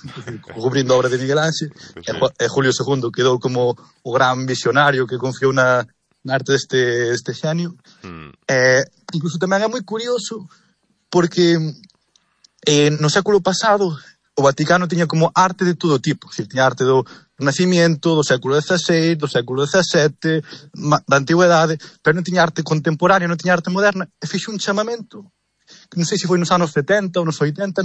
cubrindo a obra de Miguel Anxo, e, e Julio segundo quedou como o gran visionario que confiou na na arte deste, deste xenio. Mm. Eh, incluso tamén é moi curioso porque eh, no século pasado o Vaticano tiña como arte de todo tipo, decir, tiña arte do Renacimiento, do século dieciséis, do século diecisiete, da Antigüedade, pero non tiña arte contemporánea, non tiña arte moderna, e fixo un chamamento, que non sei se foi nos anos setenta ou nos oitenta,